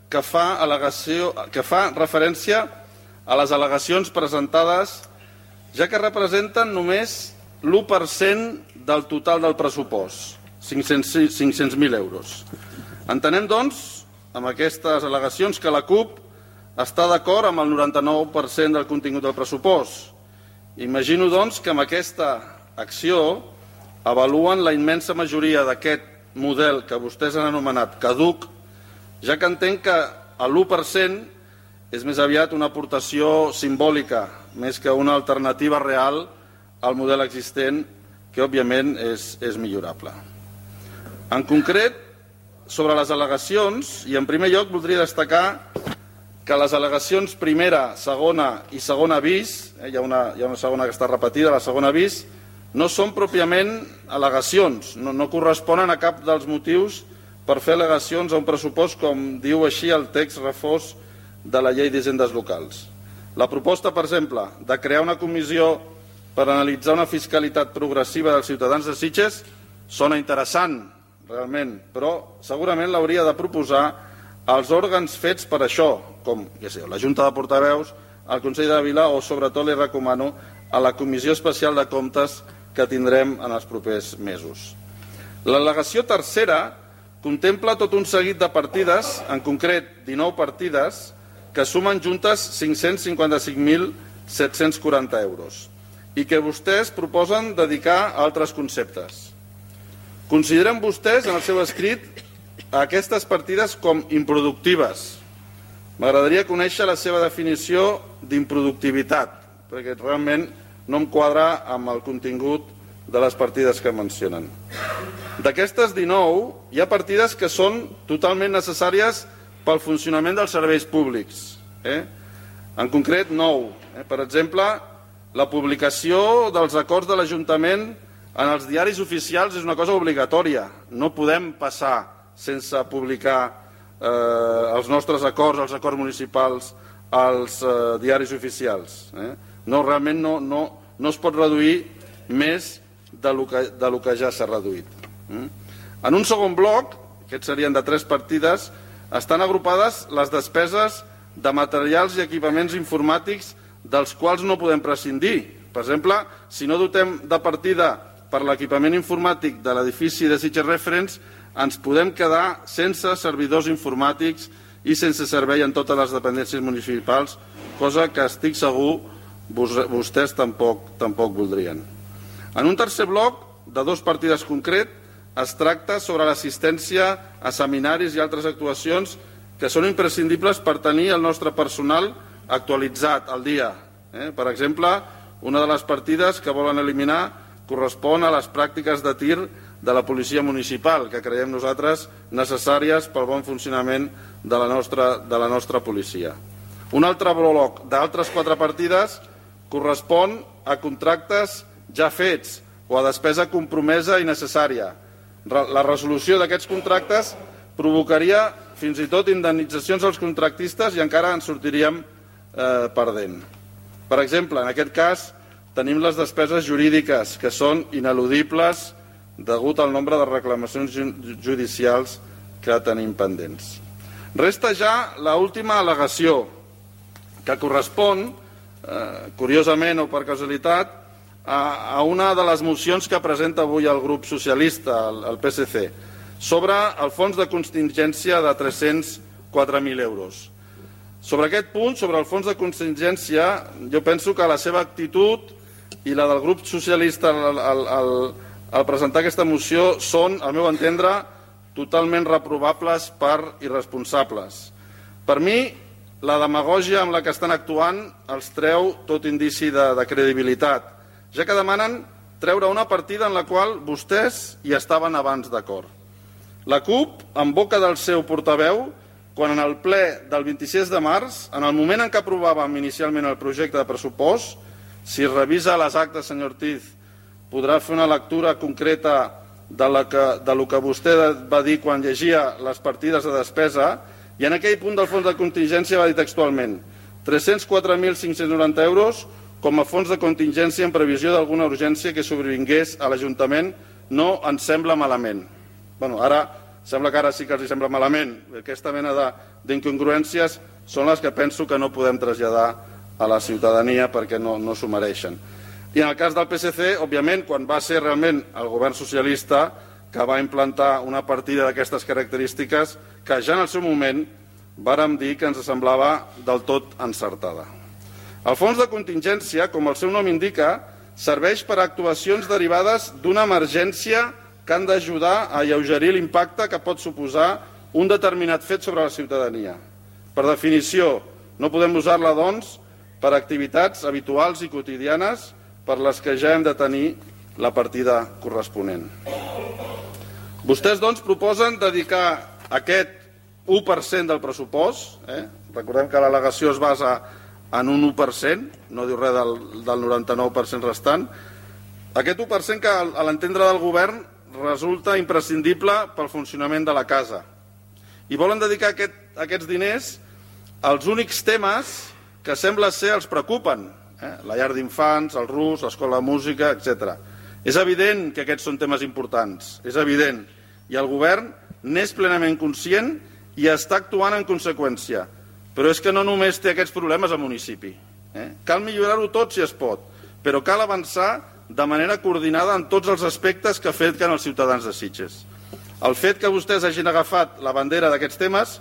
que fa, al·legació, que fa referència a les al·legacions presentades, ja que representen només l'u per cent del total del pressupost, cinc-cents mil euros. Entenem, doncs, amb aquestes al·legacions que la CUP està d'acord amb el noranta-nou per cent del contingut del pressupost. Imagino, doncs, que amb aquesta acció avaluen la immensa majoria d'aquest model que vostès han anomenat caduc, ja que entenc que l'u per cent és més aviat una aportació simbòlica, més que una alternativa real al model existent, que òbviament és, és millorable. En concret, sobre les al·legacions, i en primer lloc voldria destacar que les al·legacions primera, segona i segona bis, eh, hi, ha una, hi ha una segona que està repetida, la segona bis, no són pròpiament al·legacions, no, no corresponen a cap dels motius per fer al·legacions a un pressupost, com diu així el text refós de la llei d'hisendes locals. La proposta, per exemple, de crear una comissió per analitzar una fiscalitat progressiva dels ciutadans de Sitges sona interessant, realment, però segurament l'hauria de proposar als òrgans fets per això, com ja sé, la Junta de Portaveus, el Consell de Vila o, sobretot, li recomano a la Comissió Especial de Comptes que tindrem en els propers mesos. L'al·legació tercera contempla tot un seguit de partides, en concret dinou partides, que sumen juntes cinc-cents cinquanta-cinc mil set-cents quaranta euros i que vostès proposen dedicar a altres conceptes. Consideren vostès, en el seu escrit, aquestes partides com improductives. M'agradaria conèixer la seva definició d'improductivitat, perquè realment no em quadra amb el contingut de les partides que mencionen. D'aquestes dinou, hi ha partides que són totalment necessàries pel funcionament dels serveis públics. Eh? En concret, nou. Eh? Per exemple, la publicació dels acords de l'Ajuntament en els diaris oficials és una cosa obligatòria. No podem passar sense publicar eh, els nostres acords, els acords municipals, als eh, diaris oficials. Eh? No, realment no, no, no es pot reduir més de lo que, de lo que ja s'ha reduït. Eh? En un segon bloc, aquests serien de tres partides, estan agrupades les despeses de materials i equipaments informàtics dels quals no podem prescindir. Per exemple, si no dotem de partida per l'equipament informàtic de l'edifici de Sitges Reference, ens podem quedar sense servidors informàtics i sense servei en totes les dependències municipals, cosa que estic segur vostès tampoc, tampoc voldrien. En un tercer bloc, de dos partides concret, es tracta sobre l'assistència a seminaris i altres actuacions que són imprescindibles per tenir el nostre personal actualitzat al dia. Eh? Per exemple, una de les partides que volen eliminar correspon a les pràctiques de tir de la policia municipal, que creiem nosaltres necessàries pel bon funcionament de la nostra, de la nostra policia. Un altre bloc d'altres quatre partides correspon a contractes ja fets o a despesa compromesa i necessària. La resolució d'aquests contractes provocaria fins i tot indemnitzacions als contractistes i encara en sortiríem eh, perdent. Per exemple, en aquest cas tenim les despeses jurídiques, que són ineludibles degut al nombre de reclamacions judicials que tenim pendents. Resta ja l'última al·legació, que correspon, eh, curiosament o per casualitat, a, a una de les mocions que presenta avui el grup socialista, el, el P S C, sobre el fons de contingència de tres-cents quatre mil euros. Sobre aquest punt, sobre el fons de contingència, jo penso que la seva actitud i la del grup socialista al, al, al, al presentar aquesta moció són, al meu entendre, totalment reprovables per irresponsables. Per mi, la demagògia amb la que estan actuant els treu tot indici de, de credibilitat, ja que demanen treure una partida en la qual vostès hi estaven abans d'acord. La CUP, en boca del seu portaveu, quan en el ple del vint-i-sis de març, en el moment en què aprovàvem inicialment el projecte de pressupost, si revisa les actes, senyor Ortiz, podrà fer una lectura concreta de, la que, de lo que vostè va dir quan llegia les partides de despesa, i en aquell punt del fons de contingència va dir textualment tres-cents quatre mil cinc-cents noranta euros com a fons de contingència en previsió d'alguna urgència que sobrevingués a l'Ajuntament. No ens sembla malament. Bueno, ara sembla que ara sí que els sembla malament. Aquesta mena d'incongruències són les que penso que no podem traslladar a la ciutadania perquè no, no s'ho mereixen. I en el cas del P S C, òbviament, quan va ser realment el govern socialista que va implantar una partida d'aquestes característiques que ja en el seu moment vàrem dir que ens semblava del tot encertada. El fons de contingència, com el seu nom indica, serveix per a actuacions derivades d'una emergència que han d'ajudar a alleugerir l'impacte que pot suposar un determinat fet sobre la ciutadania. Per definició, no podem usar-la, doncs, per activitats habituals i quotidianes per les que ja hem de tenir la partida corresponent. Vostès, doncs, proposen dedicar aquest u per cent del pressupost, eh? Recordem que l'al·legació es basa en un u per cent, no diu res del, del noranta-nou per cent restant, aquest u per cent que a l'entendre del govern resulta imprescindible pel funcionament de la casa. I volen dedicar aquest, aquests diners als únics temes que sembla ser els preocupen, eh? La llar d'infants, el rus, l'escola de música, etcètera. És evident que aquests són temes importants, és evident, i el govern n'és plenament conscient i està actuant en conseqüència. Però és que no només té aquests problemes al municipi. Eh? Cal millorar-ho tot si es pot, però cal avançar de manera coordinada en tots els aspectes que afecten els ciutadans de Sitges. El fet que vostès hagin agafat la bandera d'aquests temes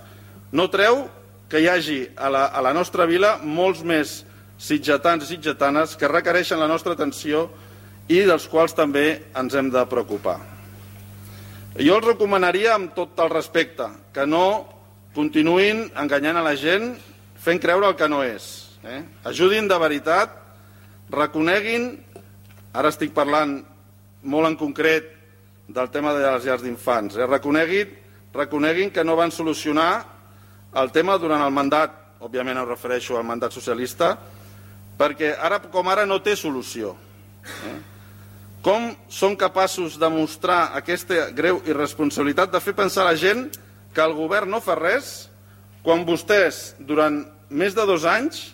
no treu que hi hagi a la, a la nostra vila molts més sitgetans i sitgetanes que requereixen la nostra atenció i dels quals també ens hem de preocupar. Jo els recomanaria amb tot el respecte que no continuïn enganyant a la gent fent creure el que no és. Eh? Ajudin de veritat, reconeguin, ara estic parlant molt en concret del tema de les llars d'infants, eh? reconeguin, reconeguin que no van solucionar el tema durant el mandat, òbviament em refereixo al mandat socialista, perquè ara com ara no té solució. Eh? Com són capaços de mostrar aquesta greu irresponsabilitat de fer pensar a la gent que el govern no fa res quan vostès durant més de dos anys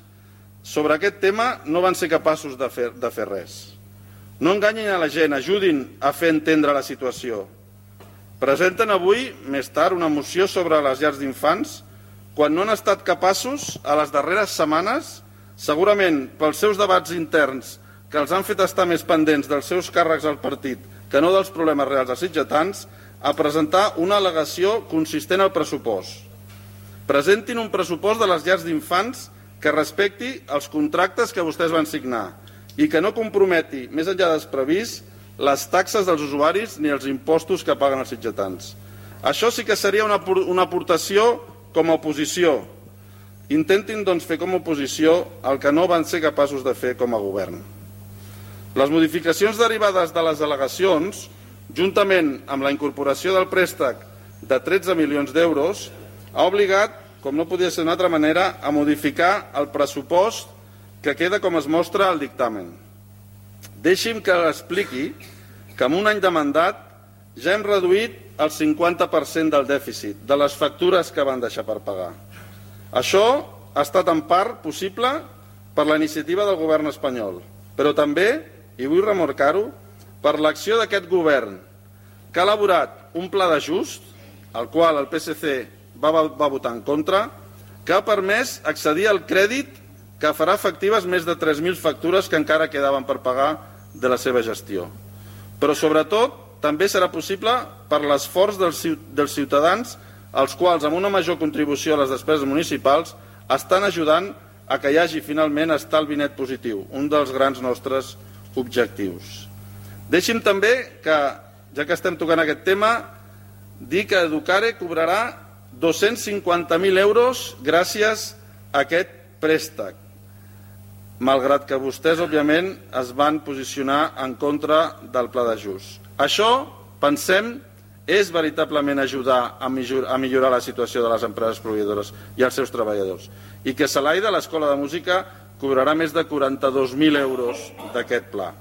sobre aquest tema no van ser capaços de fer, de fer res. No enganyin a la gent, ajudin a fer entendre la situació. Presenten avui, més tard, una moció sobre les llars d'infants quan no han estat capaços, a les darreres setmanes, segurament pels seus debats interns que els han fet estar més pendents dels seus càrrecs al partit que no dels problemes reals dels sitgetans, a presentar una al·legació consistent al pressupost. Presentin un pressupost de les llars d'infants que respecti els contractes que vostès van signar i que no comprometi, més enllà dels previst, les taxes dels usuaris ni els impostos que paguen els sitgetans. Això sí que seria una, una aportació com a oposició. Intentin, doncs, fer com a oposició el que no van ser capaços de fer com a govern. Les modificacions derivades de les delegacions, juntament amb la incorporació del préstec de tretze milions d'euros, ha obligat, com no podia ser d'una altra manera, a modificar el pressupost que queda com es mostra al dictamen. Deixi'm que expliqui que en un any de mandat ja hem reduït el cinquanta per cent del dèficit, de les factures que van deixar per pagar. Això ha estat en part possible per la iniciativa del govern espanyol, però també, i vull remarcar-ho, per l'acció d'aquest govern, que ha elaborat un pla d'ajust, al qual el P S C va, va votar en contra, que ha permès accedir al crèdit que farà efectives més de tres mil factures que encara quedaven per pagar de la seva gestió. Però, sobretot, també serà possible per l'esforç dels ciutadans, els quals, amb una major contribució a les despeses municipals, estan ajudant a que hi hagi finalment estalvi net positiu, un dels grans nostres objectius. Deixi'm també que, ja que estem tocant aquest tema, dir que Educare cobrarà dos-cents cinquanta mil euros gràcies a aquest préstec, malgrat que vostès, òbviament, es van posicionar en contra del pla d'ajust. Això, pensem, és veritablement ajudar a millorar la situació de les empreses proveïdores i els seus treballadors. I que Salaida, l'Escola de Música, cobrarà més de quaranta-dos mil euros d'aquest pla.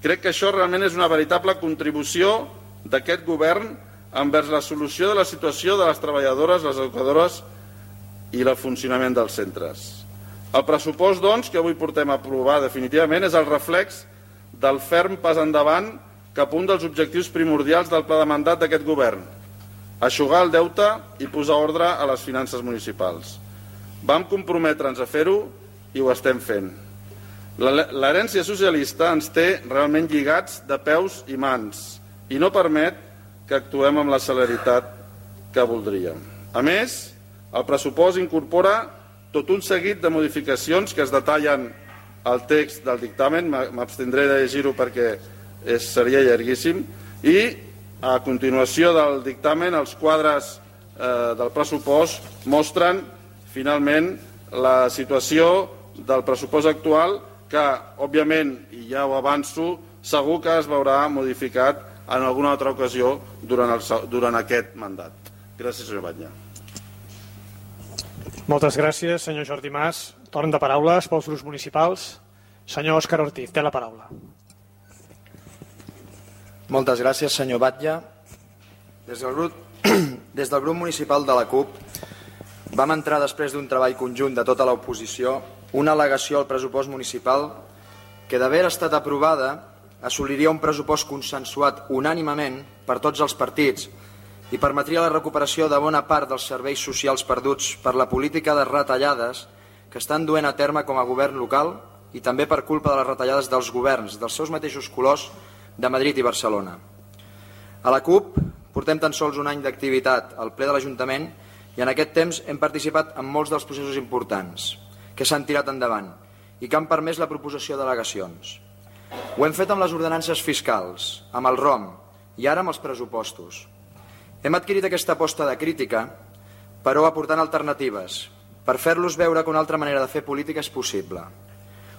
Crec que això realment és una veritable contribució d'aquest govern envers la solució de la situació de les treballadores, les educadores i el funcionament dels centres. El pressupost, doncs, que avui portem a aprovar definitivament és el reflex del ferm pas endavant cap a un dels objectius primordials del pla de mandat d'aquest govern, eixugar el deute i posar ordre a les finances municipals. Vam comprometre'ns a fer-ho i ho estem fent. L'herència socialista ens té realment lligats de peus i mans i no permet que actuem amb la celeritat que voldríem. A més, el pressupost incorpora tot un seguit de modificacions que es detallen al text del dictamen, m'abstindré de llegir-ho perquè seria llarguíssim, i a continuació del dictamen els quadres del pressupost mostren finalment la situació del pressupost actual que, òbviament, i ja ho avanço, segur que es veurà modificat en alguna altra ocasió durant, el, durant aquest mandat. Gràcies, senyor Batlle. Moltes gràcies, senyor Jordi Mas. Torn de paraules pels grups municipals. Senyor Òscar Ortiz, té la paraula. Moltes gràcies, senyor Batlle. Des del grup, des del grup municipal de la CUP vam entrar després d'un treball conjunt de tota l'oposició una al·legació al pressupost municipal que, d'haver estat aprovada, assoliria un pressupost consensuat unànimement per tots els partits i permetria la recuperació de bona part dels serveis socials perduts per la política de retallades que estan duent a terme com a govern local i també per culpa de les retallades dels governs dels seus mateixos colors de Madrid i Barcelona. A la CUP portem tan sols un any d'activitat al ple de l'Ajuntament i en aquest temps hem participat en molts dels processos importants que s'han tirat endavant i que han permès la proposició d'al·legacions. Ho hem fet amb les ordenances fiscals, amb el ROM i ara amb els pressupostos. Hem adquirit aquesta aposta de crítica, però aportant alternatives, per fer-los veure que una altra manera de fer política és possible.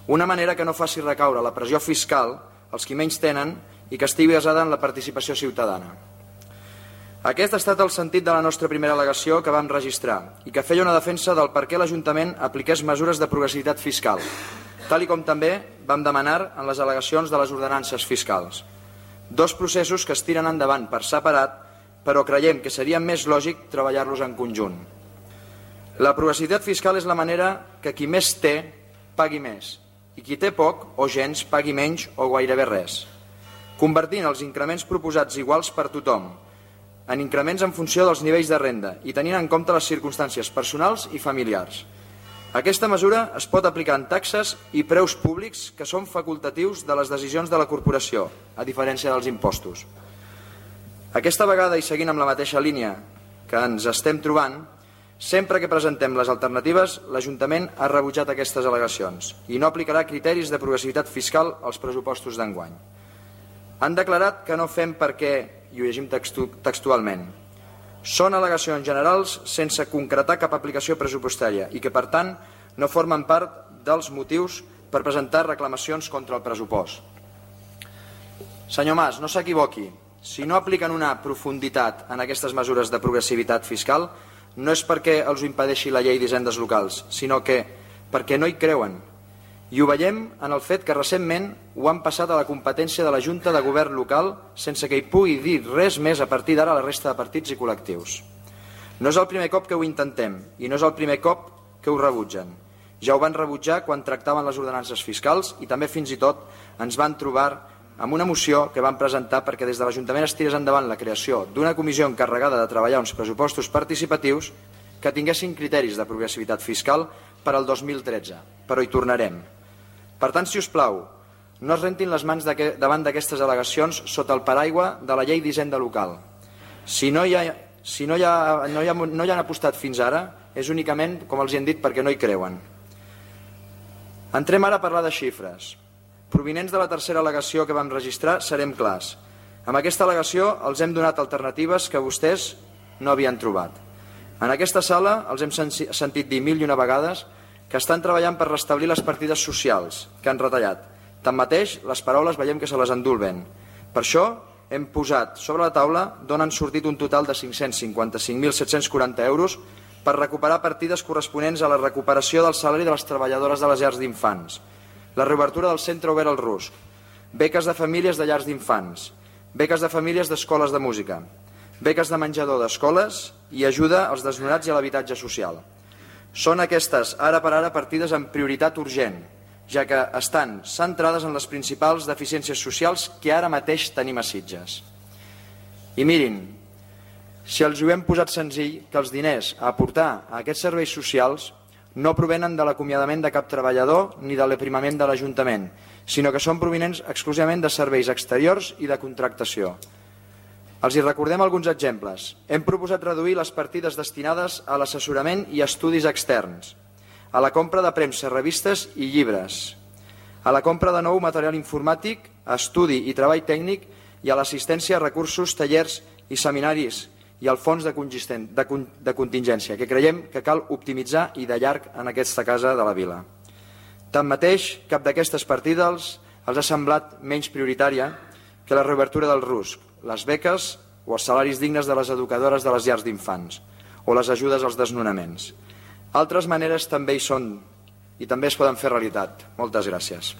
Una manera que no faci recaure la pressió fiscal als qui menys tenen i que estigui basada en la participació ciutadana. Aquest ha estat el sentit de la nostra primera al·legació que vam registrar i que feia una defensa del per què l'Ajuntament apliqués mesures de progressivitat fiscal, tal i com també vam demanar en les al·legacions de les ordenances fiscals. Dos processos que es tiren endavant per separat, però creiem que seria més lògic treballar-los en conjunt. La progressivitat fiscal és la manera que qui més té pagui més i qui té poc o gens pagui menys o gairebé res, convertint els increments proposats iguals per tothom en increments en funció dels nivells de renda i tenint en compte les circumstàncies personals i familiars. Aquesta mesura es pot aplicar en taxes i preus públics que són facultatius de les decisions de la corporació, a diferència dels impostos. Aquesta vegada, i seguint amb la mateixa línia que ens estem trobant, Sempre que presentem les alternatives, l'Ajuntament ha rebutjat aquestes al·legacions i no aplicarà criteris de progressivitat fiscal als pressupostos d'enguany. Han declarat que no fem perquè, i ho llegim textu textualment, són al·legacions generals sense concretar cap aplicació pressupostària i que, per tant, no formen part dels motius per presentar reclamacions contra el pressupost. Senyor Mas, no s'equivoqui. Si no apliquen una profunditat en aquestes mesures de progressivitat fiscal, no és perquè els ho impedeixi la llei d'hisendes locals, sinó que perquè no hi creuen. I ho veiem en el fet que recentment ho han passat a la competència de la Junta de Govern local sense que hi pugui dir res més a partir d'ara a la resta de partits i col·lectius. No és el primer cop que ho intentem i no és el primer cop que ho rebutgen. Ja ho van rebutjar quan tractaven les ordenances fiscals i també fins i tot ens van trobar amb una moció que van presentar perquè des de l'Ajuntament es tirés endavant la creació d'una comissió encarregada de treballar uns pressupostos participatius que tinguessin criteris de progressivitat fiscal per al dos mil tretze, però hi tornarem. Per tant, si us plau, no es rentin les mans davant d'aquestes al·legacions sota el paraigua de la llei d'hisenda local. Si no hi ha, si no hi ha, no hi ha, no hi han apostat fins ara, és únicament, com els hi han dit, perquè no hi creuen. Entrem ara a parlar de xifres. Provinents de la tercera al·legació que vam registrar, serem clars. Amb aquesta al·legació els hem donat alternatives que vostès no havien trobat. En aquesta sala els hem sentit dir mil i una vegades que estan treballant per restablir les partides socials que han retallat. Tanmateix, les paraules veiem que se les endulven. Per això hem posat sobre la taula d'on han sortit un total de cinc-cents cinquanta-cinc mil set-cents quaranta euros per recuperar partides corresponents a la recuperació del salari de les treballadores de les llars d'infants, la reobertura del centre obert al Rusc, beques de famílies de llars d'infants, beques de famílies d'escoles de música, beques de menjador d'escoles i ajuda als desnonats i a l'habitatge social. Són aquestes, ara per ara, partides amb prioritat urgent, ja que estan centrades en les principals deficiències socials que ara mateix tenim a Sitges. I mirin, si els ho hem posat senzill, que els diners a aportar a aquests serveis socials no provenen de l'acomiadament de cap treballador ni de l'aprimament de l'Ajuntament, sinó que són provinents exclusivament de serveis exteriors i de contractació. Els hi recordem alguns exemples. Hem proposat reduir les partides destinades a l'assessorament i estudis externs, a la compra de premsa, revistes i llibres, a la compra de nou material informàtic, a estudi i treball tècnic i a l'assistència a recursos, tallers i seminaris i al fons de, de, de contingència, que creiem que cal optimitzar i de llarg en aquesta casa de la vila. Tanmateix, cap d'aquestes partides els ha semblat menys prioritària que la reobertura del Rusc, les beques o els salaris dignes de les educadores de les llars d'infants o les ajudes als desnonaments. Altres maneres també hi són i també es poden fer realitat. Moltes gràcies.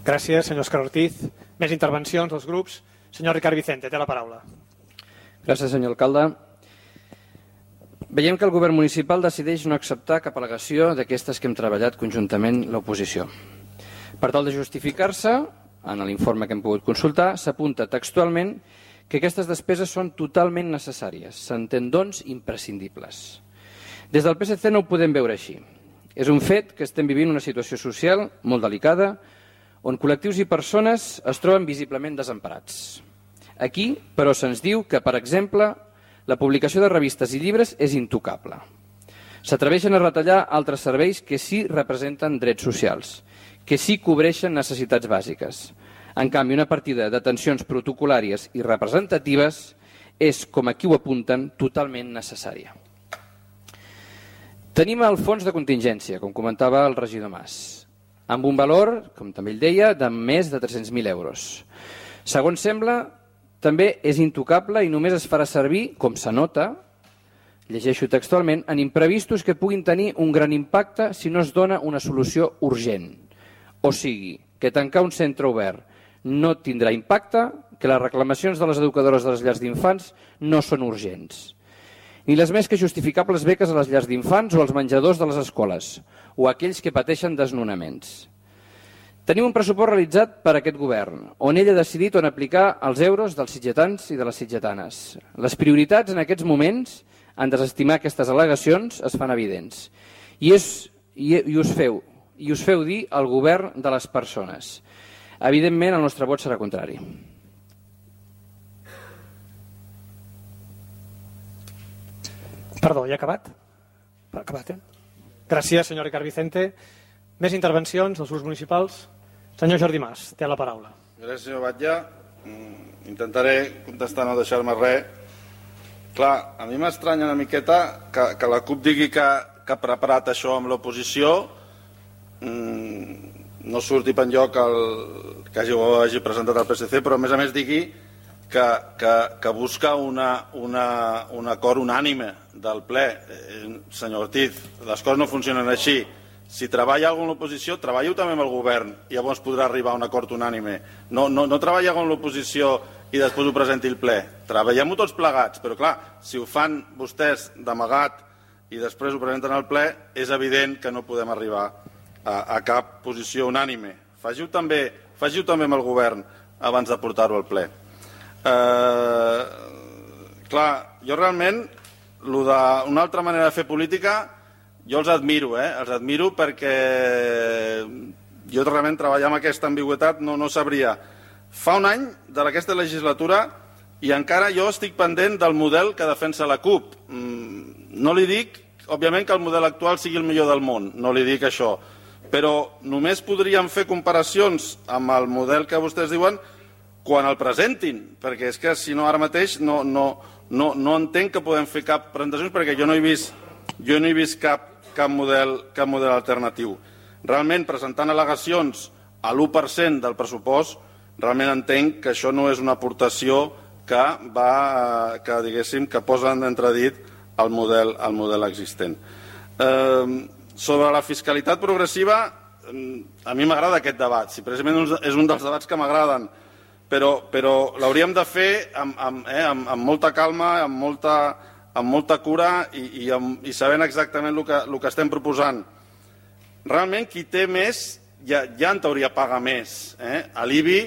Gràcies, senyor Òscar Ortiz. Més intervencions dels grups. Senyor Ricard Vicente, té la paraula. Gràcies, senyor alcalde. Veiem que el govern municipal decideix no acceptar cap al·legació d'aquestes que hem treballat conjuntament l'oposició. Per tal de justificar-se, en l'informe que hem pogut consultar, s'apunta textualment que aquestes despeses són totalment necessàries, s'entén doncs imprescindibles. Des del P S C no ho podem veure així. És un fet que estem vivint una situació social molt delicada on col·lectius i persones es troben visiblement desemparats. Aquí, però, se'ns diu que, per exemple, la publicació de revistes i llibres és intocable. S'atreveixen a retallar altres serveis que sí representen drets socials, que sí cobreixen necessitats bàsiques. En canvi, una partida d'atencions protocolàries i representatives és, com aquí ho apunten, totalment necessària. Tenim el fons de contingència, com comentava el regidor Mas, amb un valor, com també ell deia, de més de tres-cents mil euros. Segons sembla, també és intocable i només es farà servir, com s'anota, llegeixo textualment, en imprevistos que puguin tenir un gran impacte si no es dona una solució urgent. O sigui, que tancar un centre obert no tindrà impacte, que les reclamacions de les educadores de les llars d'infants no són urgents. Ni les més que justificables beques a les llars d'infants o als menjadors de les escoles, o aquells que pateixen desnonaments. Tenim un pressupost realitzat per aquest govern, on ell ha decidit on aplicar els euros dels sitgetans i de les sitgetanes. Les prioritats en aquests moments, en desestimar aquestes al·legacions, es fan evidents. I, és, i, i, us feu, I us feu dir al govern de les persones. Evidentment, el nostre vot serà contrari. Perdó, ja ha acabat? Ha acabat, eh? Gràcies, senyor Ricard Vicente. Més intervencions dels grups municipals? Senyor Jordi Mas, té la paraula. Gràcies, senyor Batlle. Intentaré contestar, no deixar-me res. Clar, a mi m'estranya una miqueta que, que la CUP digui que, que ha preparat això amb l'oposició. Mm, no surti per enlloc el, que hagi, hagi presentat el P S C, però a més a més digui que, que, que busca una, una, un acord unànime del ple. Eh, senyor Ortiz, les coses no funcionen així. Si treballa algú en l'oposició, treballo també amb el govern i llavors podrà arribar a un acord unànime. No, no, no treballa algú en l'oposició i després ho presenti el ple. Treballem-ho tots plegats, però clar, si ho fan vostès d'amagat i després ho presenten al ple, és evident que no podem arribar a, a cap posició unànime. Faci-ho també, faci-ho també amb el govern abans de portar-ho al ple. Eh, clar, jo realment, lo de una altra manera de fer política, jo els admiro, eh? els admiro perquè jo realment treballar amb aquesta ambigüitat no, no sabria. Fa un any d'aquesta legislatura i encara jo estic pendent del model que defensa la CUP. No li dic, òbviament, que el model actual sigui el millor del món, no li dic això, però només podríem fer comparacions amb el model que vostès diuen quan el presentin, perquè és que si no ara mateix no, no, no, no entenc que podem fer cap presentació perquè jo no he vist, jo no he vist cap cap model, cap model alternatiu. Realment, presentant al·legacions a l'u per cent del pressupost, realment entenc que això no és una aportació que va, que diguéssim, que posa en entredit el model, el model existent. Eh, sobre la fiscalitat progressiva, a mi m'agrada aquest debat, si precisament és un dels debats que m'agraden, però, però l'hauríem de fer amb, amb, eh, amb, amb molta calma, amb molta... amb molta cura i, i, amb, i sabent exactament el que, el que estem proposant. Realment, qui té més, ja, ja en teoria paga més. Eh? L'I B I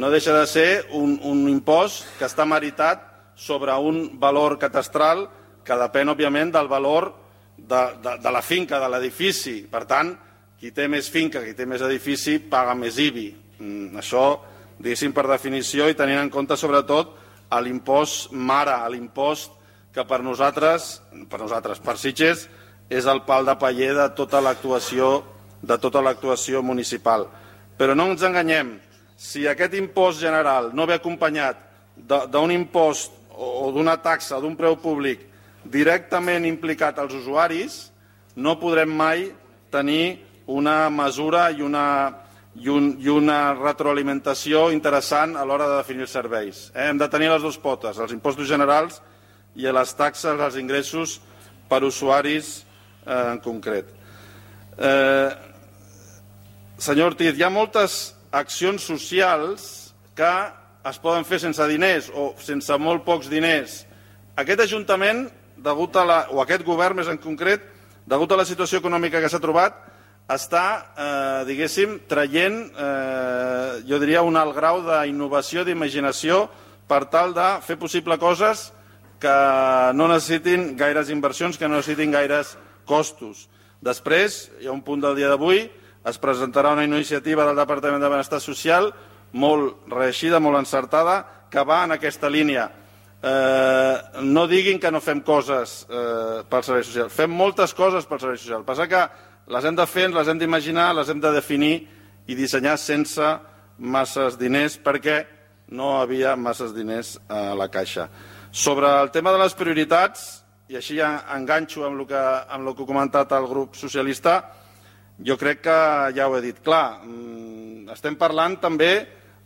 no deixa de ser un, un impost que està meritat sobre un valor catastral que depèn, òbviament, del valor de, de, de la finca, de l'edifici. Per tant, qui té més finca, qui té més edifici, paga més I B I. Mm, això, diguéssim, per definició, i tenint en compte, sobretot, l'impost mare, l'impost que per nosaltres, per nosaltres, per Sitges, és el pal de paller de tota l'actuació de tota l'actuació municipal. Però no ens enganyem, si aquest impost general no ve acompanyat d'un impost o d'una taxa, d'un preu públic directament implicat als usuaris, no podrem mai tenir una mesura i una, i un, i una retroalimentació interessant a l'hora de definir els serveis. Eh? Hem de tenir les dues potes, els impostos generals i a les taxes, als ingressos per usuaris eh, en concret. Eh, senyor Ortiz, hi ha moltes accions socials que es poden fer sense diners o sense molt pocs diners. Aquest Ajuntament, degut a la, o aquest govern més en concret, degut a la situació econòmica que s'ha trobat, està, eh, diguéssim, traient, eh, jo diria, un alt grau d'innovació, d'imaginació, per tal de fer possible coses que no necessitin gaires inversions, que no necessitin gaires costos. Després, hi ha un punt del dia d'avui, es presentarà una iniciativa del Departament de Benestar Social molt reeixida, molt encertada, que va en aquesta línia. Eh, no diguin que no fem coses eh, pel servei social. Fem moltes coses pel servei social. El que passa que les hem de fer, les hem d'imaginar, les hem de definir i dissenyar sense masses diners, perquè no havia masses diners a la caixa. Sobre el tema de les prioritats, i així ja enganxo amb el que, amb el que ha comentat el grup socialista, jo crec que ja ho he dit clar. Estem parlant també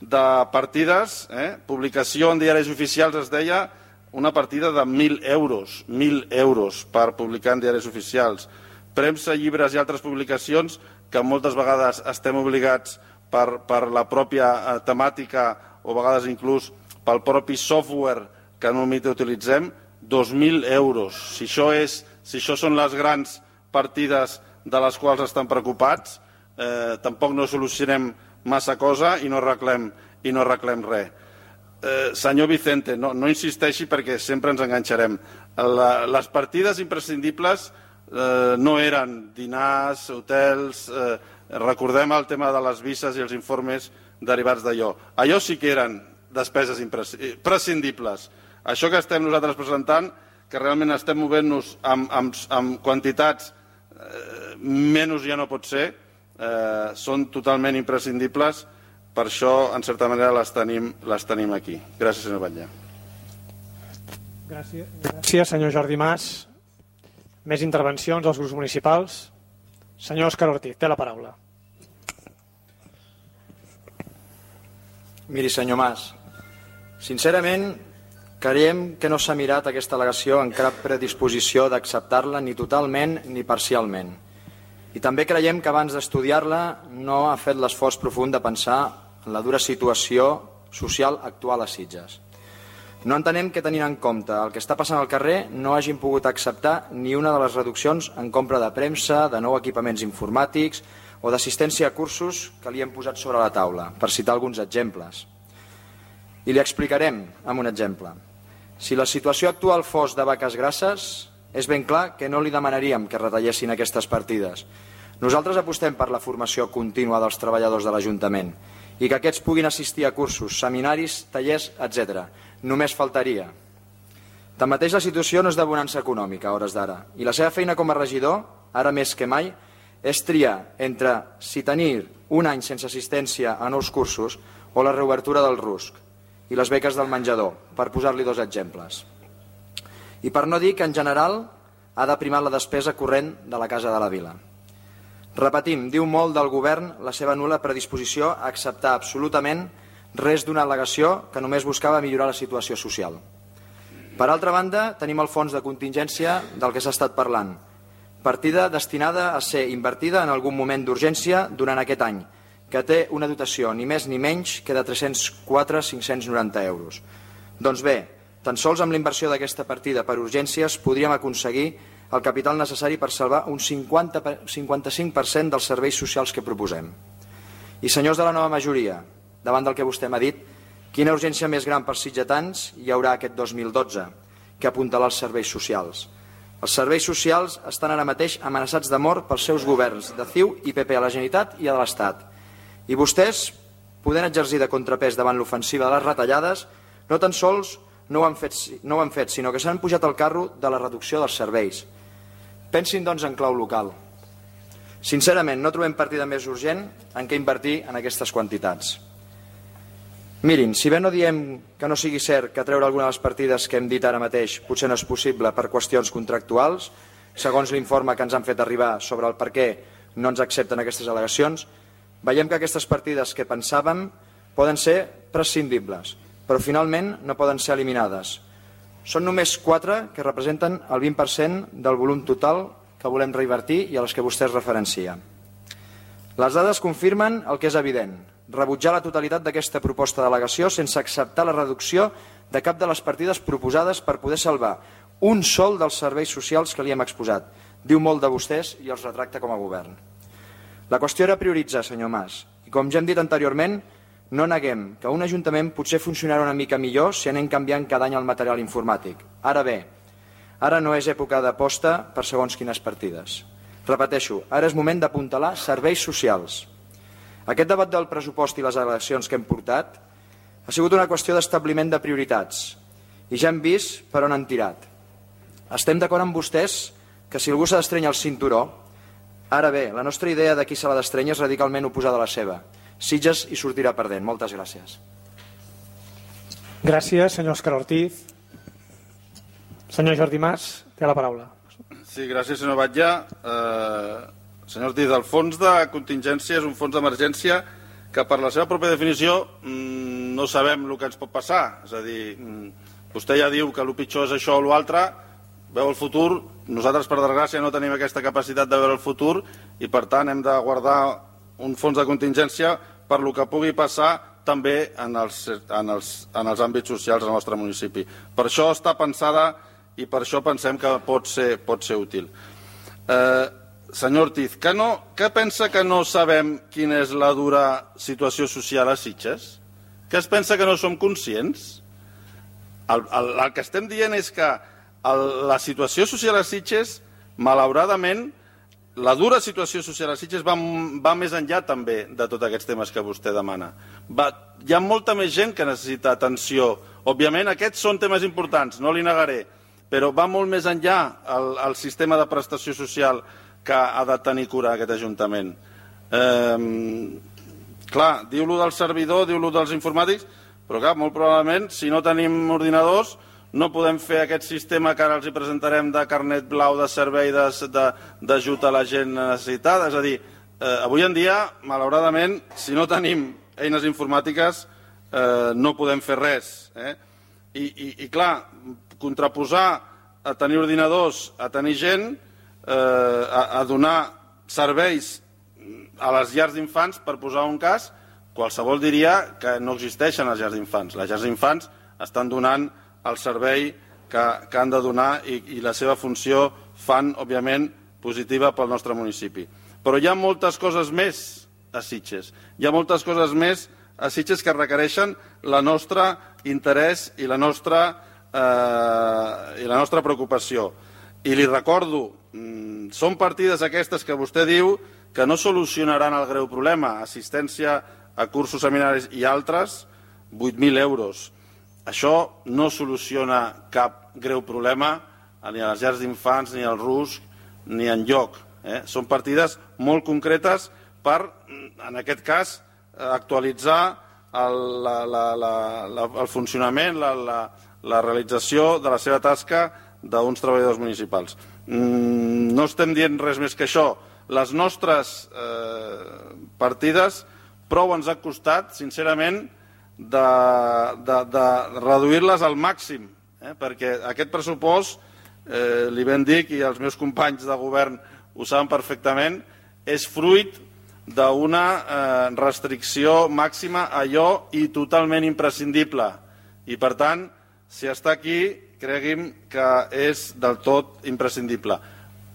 de partides, eh? Publicació en diaris oficials es deia una partida de mil euros, mil euros per publicar en diaris oficials. Premsa, llibres i altres publicacions que moltes vegades estem obligats per, per la pròpia eh, temàtica o a vegades inclús pel propi software que normalment utilitzem, dos mil euros. Si això, és, si això són les grans partides de les quals estan preocupats, eh, tampoc no solucionem massa cosa i no arreglem, i no arreglem res. Eh, senyor Vicente, no, no insisteixi perquè sempre ens enganxarem. La, les partides imprescindibles eh, no eren dinars, hotels, eh, recordem el tema de les visses i els informes derivats d'allò. Allò sí que eren despeses imprescindibles. Això que estem nosaltres presentant que realment estem movent-nos amb, amb, amb quantitats eh, menys ja no pot ser, eh, són totalment imprescindibles, per això, en certa manera, les tenim, les tenim aquí. Gràcies, senyor Batlle. Gràcies. Gràcies, senyor Jordi Mas. Més intervencions dels grups municipals. Senyor Òscar Ortiz, té la paraula. Miri, senyor Mas, sincerament, creiem que no s'ha mirat aquesta al·legació en cap predisposició d'acceptar-la ni totalment ni parcialment. I també creiem que abans d'estudiar-la no ha fet l'esforç profund de pensar en la dura situació social actual a Sitges. No entenem que, tenint en compte el que està passant al carrer, no hagin pogut acceptar ni una de les reduccions en compra de premsa, de nous equipaments informàtics o d'assistència a cursos que li hem posat sobre la taula, per citar alguns exemples. I li explicarem amb un exemple. Si la situació actual fos de vaques grasses, és ben clar que no li demanaríem que retallessin aquestes partides. Nosaltres apostem per la formació contínua dels treballadors de l'Ajuntament i que aquests puguin assistir a cursos, seminaris, tallers, etcètera. Només faltaria. Tanmateix, la situació no és de bonança econòmica a hores d'ara i la seva feina com a regidor, ara més que mai, és triar entre si tenir un any sense assistència a nous cursos o la reobertura del rusc i les beques del menjador, per posar-li dos exemples. I per no dir que, en general, ha de primar la despesa corrent de la Casa de la Vila. Repetim, diu molt del govern la seva nul·la predisposició a acceptar absolutament res d'una al·legació que només buscava millorar la situació social. Per altra banda, tenim el fons de contingència del que s'ha estat parlant, partida destinada a ser invertida en algun moment d'urgència durant aquest any, que té una dotació ni més ni menys que de tres-cents quatre mil cinc-cents noranta euros. Doncs bé, tan sols amb la inversió d'aquesta partida per urgències podríem aconseguir el capital necessari per salvar un cinquanta, cinquanta-cinc per cent dels serveis socials que proposem. I senyors de la nova majoria, davant del que vostè m'ha dit, quina urgència més gran per sitgetans hi haurà aquest dos mil dotze que apuntalar els serveis socials? Els serveis socials estan ara mateix amenaçats de mort pels seus governs de C I U i P P a la Generalitat i a l'Estat. I vostès, podent exercir de contrapès davant l'ofensiva de les retallades, no tan sols no ho han fet, no ho han fet sinó que s'han pujat al carro de la reducció dels serveis. Pensin, doncs, en clau local. Sincerament, no trobem partida més urgent en què invertir en aquestes quantitats. Mirin, si bé no diem que no sigui cert que treure alguna de les partides que hem dit ara mateix potser no és possible per qüestions contractuals, segons l'informe que ens han fet arribar sobre el per què no ens accepten aquestes al·legacions, veiem que aquestes partides que pensàvem poden ser prescindibles, però finalment no poden ser eliminades. Són només quatre que representen el vint per cent del volum total que volem reinvertir i a les que vostè es referencia. Les dades confirmen el que és evident: rebutjar la totalitat d'aquesta proposta d'al·legació sense acceptar la reducció de cap de les partides proposades per poder salvar un sol dels serveis socials que li hem exposat. Diu molt de vostès i els retracta com a govern. La qüestió era prioritzar, senyor Mas, i com ja hem dit anteriorment, no neguem que un ajuntament potser funcionarà una mica millor si anem canviant cada any el material informàtic. Ara bé, ara no és època d'aposta per segons quines partides. Repeteixo, ara és moment d'apuntalar serveis socials. Aquest debat del pressupost i les al·legacions que hem portat ha sigut una qüestió d'establiment de prioritats i ja hem vist per on han tirat. Estem d'acord amb vostès que si algú s'ha d'estrènyer el cinturó, ara bé, la nostra idea de qui se l'ha d'estrènyer és radicalment oposada a la seva. Sitges hi sortirà perdent. Moltes gràcies. Gràcies, senyor Òscar Ortiz. Senyor Jordi Mas, té la paraula. Sí, gràcies, senyor Batlle. Eh, senyor Ortiz, el fons de contingència és un fons d'emergència que per la seva pròpia definició mmm, no sabem el que ens pot passar. És a dir, mmm, vostè ja diu que el pitjor és això o l'altre, veu el futur. Nosaltres, per desgràcia, no tenim aquesta capacitat de veure el futur i, per tant, hem de guardar un fons de contingència per lo que pugui passar també en els, en els, en els àmbits socials del nostre municipi. Per això està pensada i per això pensem que pot ser, pot ser útil. Eh, senyor Ortiz, que, no, que pensa que no sabem quina és la dura situació social a Sitges? Que es pensa que no som conscients? El, el, el que estem dient és que el, la situació social a Sitges, malauradament, la dura situació social a Sitges va, va més enllà també de tots aquests temes que vostè demana. Va, hi ha molta més gent que necessita atenció. Òbviament aquests són temes importants, no li negaré, però va molt més enllà el, el sistema de prestació social que ha de tenir cura aquest Ajuntament. Eh, clar, diu-lo del servidor, diu-lo dels informàtics, però clar, molt probablement, si no tenim ordinadors, no podem fer aquest sistema que ara els hi presentarem de carnet blau de servei d'ajut a la gent necessitada. És a dir, eh, avui en dia, malauradament, si no tenim eines informàtiques, eh, no podem fer res. Eh? I, i, I clar, contraposar a tenir ordinadors, a tenir gent, eh, a, a donar serveis a les llars d'infants, per posar un cas, qualsevol diria que no existeixen les llars d'infants. Les llars d'infants estan donant el servei que, que han de donar i, i la seva funció fan, òbviament, positiva pel nostre municipi. Però hi ha moltes coses més a Sitges. Hi ha moltes coses més a Sitges que requereixen la nostra interès i la nostra, eh, i la nostra preocupació. I li recordo, mmm, són partides aquestes que vostè diu que no solucionaran el greu problema, assistència a cursos, seminaris i altres, vuit mil euros. Això no soluciona cap greu problema ni a les llars d'infants, ni al RUSC, ni enlloc. Eh? Són partides molt concretes per, en aquest cas, actualitzar el, la, la, la, la, el funcionament, la, la, la realització de la seva tasca d'uns treballadors municipals. Mm, no estem dient res més que això. Les nostres eh, partides prou ens ha costat, sincerament, de, de, de reduir-les al màxim, eh? Perquè aquest pressupost, eh, li ben dic, i els meus companys de govern ho saben perfectament, és fruit d'una eh, restricció màxima a allò i totalment imprescindible. I, per tant, si està aquí, cregui'm que és del tot imprescindible.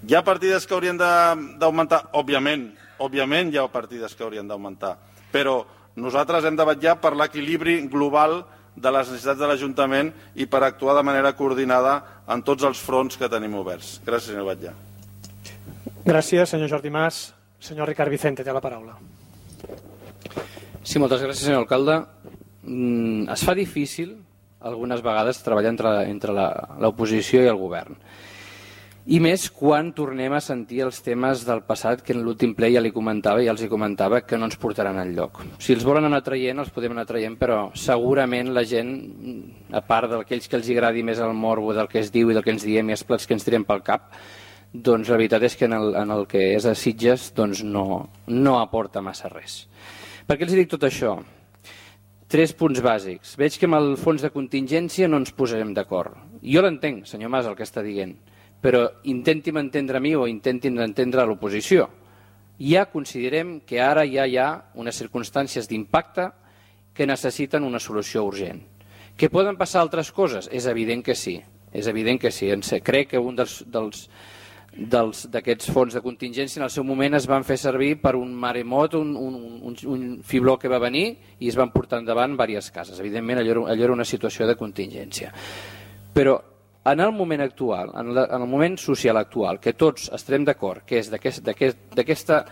Hi ha partides que haurien d'augmentar? Òbviament, òbviament hi ha partides que haurien d'augmentar, però nosaltres hem de vetllar per l'equilibri global de les necessitats de l'Ajuntament i per actuar de manera coordinada en tots els fronts que tenim oberts. Gràcies, senyor Batlle. Gràcies, senyor Jordi Mas. Senyor Ricard Vicente, té la paraula. Sí, moltes gràcies, senyor alcalde. Mm, es fa difícil, algunes vegades, treballar entre, entre l'oposició i el govern. I més quan tornem a sentir els temes del passat que en l'últim ple ja li comentava i ja els hi comentava que no ens portaran enlloc. Si els volen anar traient, els podem anar traient, però segurament la gent, a part d'aquells que els agradi més el morbo del que es diu i del que ens diem i els plats que ens tirem pel cap, doncs la veritat és que en el, en el que és a Sitges doncs no, no aporta massa res. Per què els dic tot això? Tres punts bàsics. Veig que amb el fons de contingència no ens posarem d'acord. Jo l'entenc, senyor Mas, el que està dient, però intentin entendre a mi o intentin entendre a l'oposició. Ja considerem que ara ja hi ha unes circumstàncies d'impacte que necessiten una solució urgent. Que poden passar altres coses? És evident que sí. És evident que sí. Crec que un dels, dels, dels, d'aquests fons de contingència en el seu moment es van fer servir per un maremot, un, un, un, un fibló que va venir i es van portar endavant diverses cases. Evidentment, allò, allò era una situació de contingència. Però en el moment actual, en, la, en el moment social actual, que tots estarem d'acord, que és d'aquesta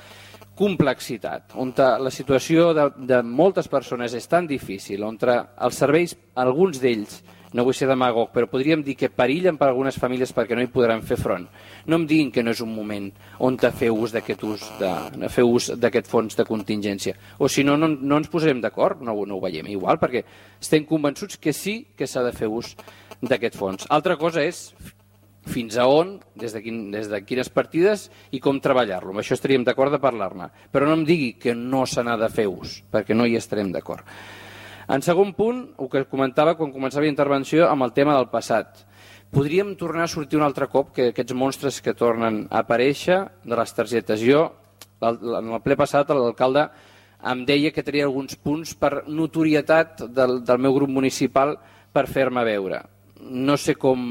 complexitat, on la situació de, de moltes persones és tan difícil, on els serveis, alguns d'ells, no vull ser demagog, però podríem dir que perillen per algunes famílies perquè no hi podran fer front. No em diguin que no és un moment on fer ús d'aquest ús de, fer ús d'aquest fons de contingència. O si no, no, no ens posarem d'acord, no, no ho veiem igual, perquè estem convençuts que sí que s'ha de fer ús d'aquest fons. Altra cosa és fins a on, des de, quin, des de quines partides i com treballar-lo. Amb això estaríem d'acord de parlar-ne. Però no em digui que no se n'ha de fer ús, perquè no hi estarem d'acord. En segon punt, el que comentava quan començava la intervenció amb el tema del passat. Podríem tornar a sortir un altre cop que aquests monstres que tornen a aparèixer de les targetes. Jo, en el ple passat, l'alcalde em deia que tenia alguns punts per notorietat del, del meu grup municipal per fer-me veure. No sé com,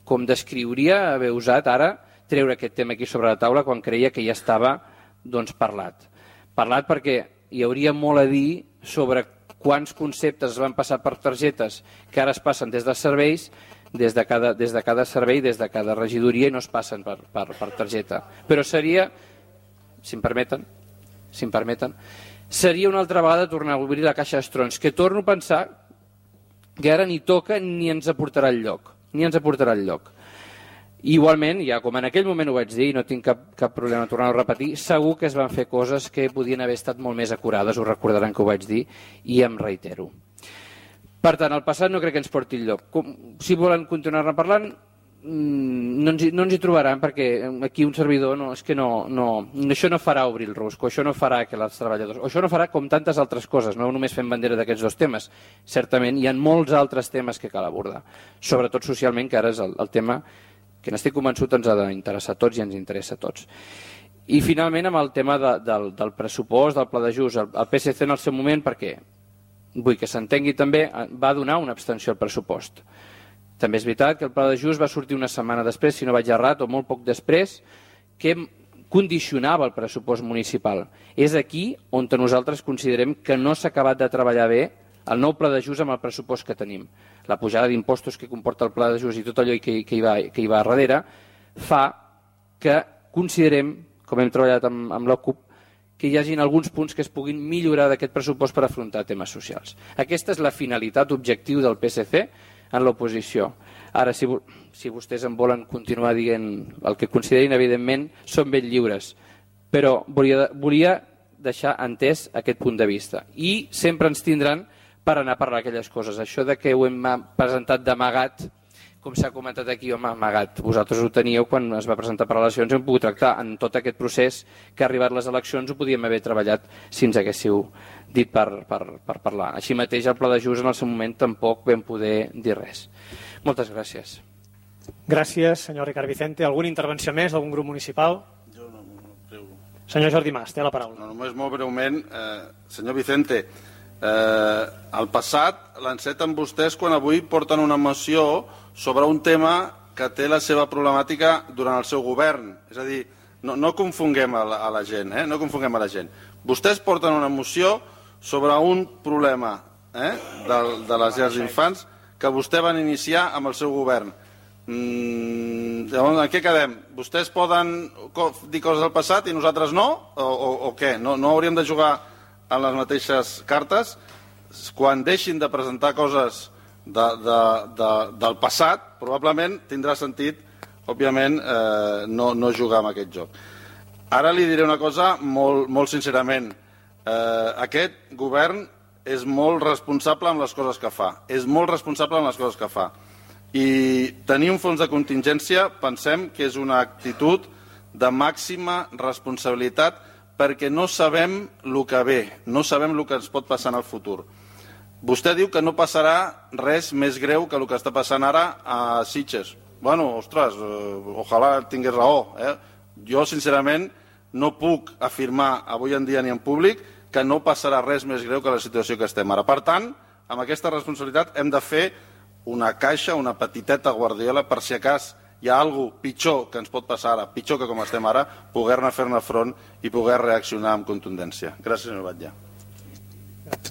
com descriuria haver usat ara treure aquest tema aquí sobre la taula quan creia que ja estava doncs, parlat. Parlat perquè hi hauria molt a dir sobre quants conceptes es van passar per targetes que ara es passen des dels serveis, des de cada, des de cada servei, des de cada regidoria i no es passen per, per, per targeta. Però seria, si em permeten, si em permeten, seria una altra vegada tornar a obrir la caixa d'estrons, que torno a pensar que ara ni toca ni ens aportarà al lloc, ni ens aportarà al lloc. Igualment, ja com en aquell moment ho vaig dir, i no tinc cap, cap problema en tornar-ho a repetir, segur que es van fer coses que podien haver estat molt més acurades, ho recordaran que ho vaig dir, i em reitero. Per tant, el passat no crec que ens porti enlloc. Si volen continuar-ne parlant, no ens, hi, no ens hi trobaran, perquè aquí un servidor no, és que no, no, això no farà obrir el rusco, això no farà que els treballadors, o això no farà com tantes altres coses, no només fem bandera d'aquests dos temes. Certament hi ha molts altres temes que cal abordar, sobretot socialment, que ara és el, el tema que n'estic convençut ens ha d'interessar a tots i ens interessa a tots. I finalment amb el tema de, del, del pressupost, del pla d'ajust, el, el P S C en el seu moment, perquè vull que s'entengui també, va donar una abstenció al pressupost. També és veritat que el pla d'ajust va sortir una setmana després, si no vaig errat, o molt poc després, que condicionava el pressupost municipal. És aquí on nosaltres considerem que no s'ha acabat de treballar bé el nou pla d'ajust amb el pressupost que tenim. La pujada d'impostos que comporta el pla d'ajust i tot allò que, que, hi va, que hi va a darrere fa que considerem, com hem treballat amb, amb la CUP, que hi hagin alguns punts que es puguin millorar d'aquest pressupost per afrontar temes socials. Aquesta és la finalitat, objectiu del P S C en l'oposició. Ara, si, si vostès en volen continuar dient el que considerin, evidentment, són ben lliures, però volia, volia deixar entès aquest punt de vista. I sempre ens tindran per anar a parlar aquelles coses. Això de que ho hem presentat d'amagat, com s'ha comentat aquí, home, amagat. Vosaltres ho teníeu quan es va presentar per eleccions i hem pogut tractar en tot aquest procés que ha arribat les eleccions, ho podíem haver treballat si ens haguéssiu dit per, per, per parlar. Així mateix el pla d'ajust en el seu moment tampoc vam poder dir res. Moltes gràcies. Gràcies, senyor Ricard Vicente. Alguna intervenció més d'algun grup municipal? Jo no, no creu. Senyor Jordi Mas, té la paraula. No, només molt breument, eh, senyor Vicente, eh, al passat l'enceten vostès quan avui porten una moció sobre un tema que té la seva problemàtica durant el seu govern. És a dir, no, no confonguem a la, a la gent, eh? no confonguem a la gent. Vostès porten una moció sobre un problema eh? de, de les llars d'infants que vostè van iniciar amb el seu govern. Mm, llavors, en què quedem? Vostès poden dir coses del passat i nosaltres no? O, o, o què? No, no hauríem de jugar en les mateixes cartes? Quan deixin de presentar coses de, de, de, del passat, probablement tindrà sentit, òbviament, eh, no, no jugar amb aquest joc. Ara li diré una cosa molt, molt sincerament. Eh, aquest govern és molt responsable amb les coses que fa. És molt responsable amb les coses que fa. I tenir un fons de contingència pensem que és una actitud de màxima responsabilitat perquè no sabem el que ve, no sabem el que ens pot passar en el futur. Vostè diu que no passarà res més greu que el que està passant ara a Sitges. Bueno, ostres, eh, ojalà tingués raó. Eh? Jo, sincerament, no puc afirmar avui en dia ni en públic que no passarà res més greu que la situació que estem ara. Per tant, amb aquesta responsabilitat hem de fer una caixa, una petiteta guardiola, per si acas hi ha alguna cosa pitjor que ens pot passar ara, pitjor que com estem ara, poder-ne fer-ne front i poder reaccionar amb contundència. Gràcies, senyor Batlle.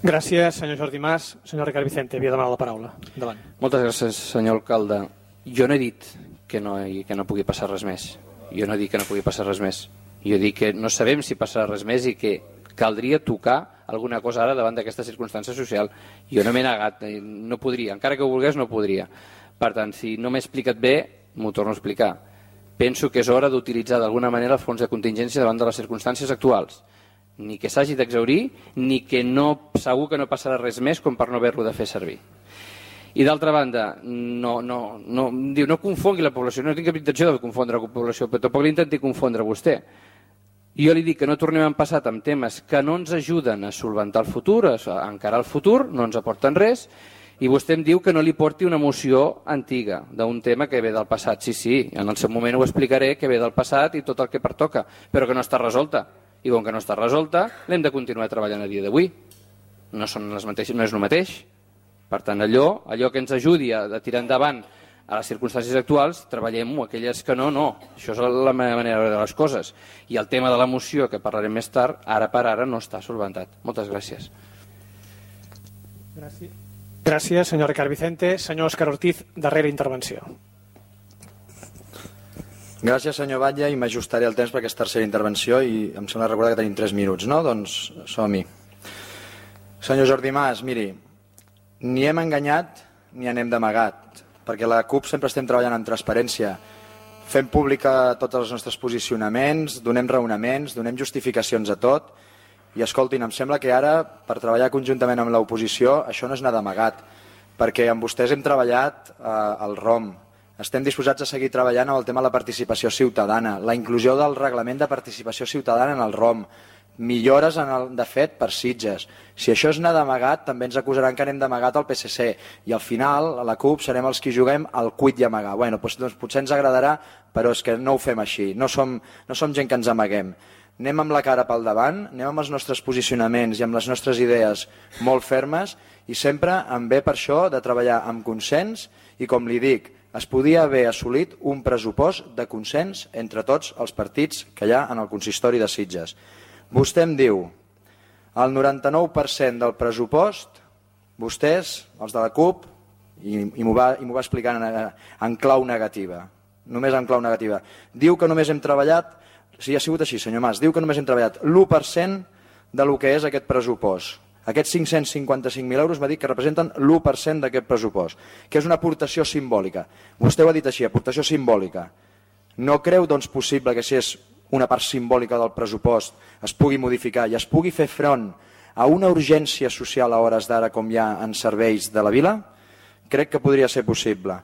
Gràcies, senyor Jordi Mas. Senyor Ricard Vicente, havia demanat la paraula. Endavant. Moltes gràcies, senyor alcalde. Jo no he dit que no, que no pugui passar res més. Jo no he dit que no pugui passar res més. Jo dic que no sabem si passarà res més i que caldria tocar alguna cosa ara davant d'aquesta circumstància social. Jo no m'he negat, no podria. Encara que ho volgués, no podria. Per tant, si no m'he explicat bé, m'ho torno a explicar. Penso que és hora d'utilitzar d'alguna manera el fons de contingència davant de les circumstàncies actuals. Ni que s'hagi d'exhaurir, ni que no, segur que no passarà res més com per no haver-lo de fer servir. I d'altra banda, no, no, no, diu, no confongui la població, no tinc cap intenció de confondre la població, però tampoc l'intenti confondre vostè. Jo li dic que no tornem en passat amb temes que no ens ajuden a solventar el futur, a encarar el futur, no ens aporten res, i vostè em diu que no li porti una moció antiga d'un tema que ve del passat. Sí, sí, en el seu moment ho explicaré, que ve del passat i tot el que pertoca, però que no està resolta. I com que no està resolta, l'hem de continuar treballant a dia d'avui. No són les mateixes, no és el mateix. Per tant, allò, allò que ens ajudi a, a tirar endavant a les circumstàncies actuals, treballem-ho. Aquelles que no, no. Això és la meva manera de les coses. I el tema de la moció, que parlarem més tard, ara per ara no està solventat. Moltes gràcies. Gràcies. Gràcies, senyor Ricard Vicente. Senyor Òscar Ortiz, darrera intervenció. Gràcies, senyor Batlle, i m'ajustaré el temps per aquesta tercera intervenció i em sembla recordar que tenim tres minuts, no? Doncs som-hi. Senyor Jordi Mas, miri, ni hem enganyat ni anem d'amagat, perquè la CUP sempre estem treballant en transparència. fem pública tots els nostres posicionaments, donem raonaments, donem justificacions a tot, i escoltin, em sembla que ara, per treballar conjuntament amb l'oposició, això no és anar d'amagat, perquè amb vostès hem treballat eh, al R O M, estem disposats a seguir treballant amb el tema de la participació ciutadana, la inclusió del reglament de participació ciutadana en el R O M, millores en el, de fet per Sitges. Si això és anar d'amagat, també ens acusaran que anem d'amagat al P S C, i al final a la CUP serem els qui juguem al cuit i amagar. Bueno, doncs, doncs potser ens agradarà, però és que no ho fem així, no som, no som gent que ens amaguem. Anem amb la cara pel davant, anem amb els nostres posicionaments i amb les nostres idees molt fermes, i sempre em ve per això de treballar amb consens, i com li dic, es podia haver assolit un pressupost de consens entre tots els partits que hi ha en el consistori de Sitges. Vostè em diu, el noranta-nou per cent del pressupost, vostès, els de la CUP, i, i m'ho va, i m'ho va explicar en, en clau negativa, només en clau negativa, diu que només hem treballat, si ha sigut així, senyor Mas, diu que només hem treballat l'u per cent de lo que és aquest pressupost. Aquests cinc-cents cinquanta-cinc mil euros m'ha dit que representen l'u per cent d'aquest pressupost, que és una aportació simbòlica. Vostè ho ha dit així, aportació simbòlica. No creu, doncs, possible que si és una part simbòlica del pressupost es pugui modificar i es pugui fer front a una urgència social a hores d'ara com hi ha en serveis de la vila? Crec que podria ser possible.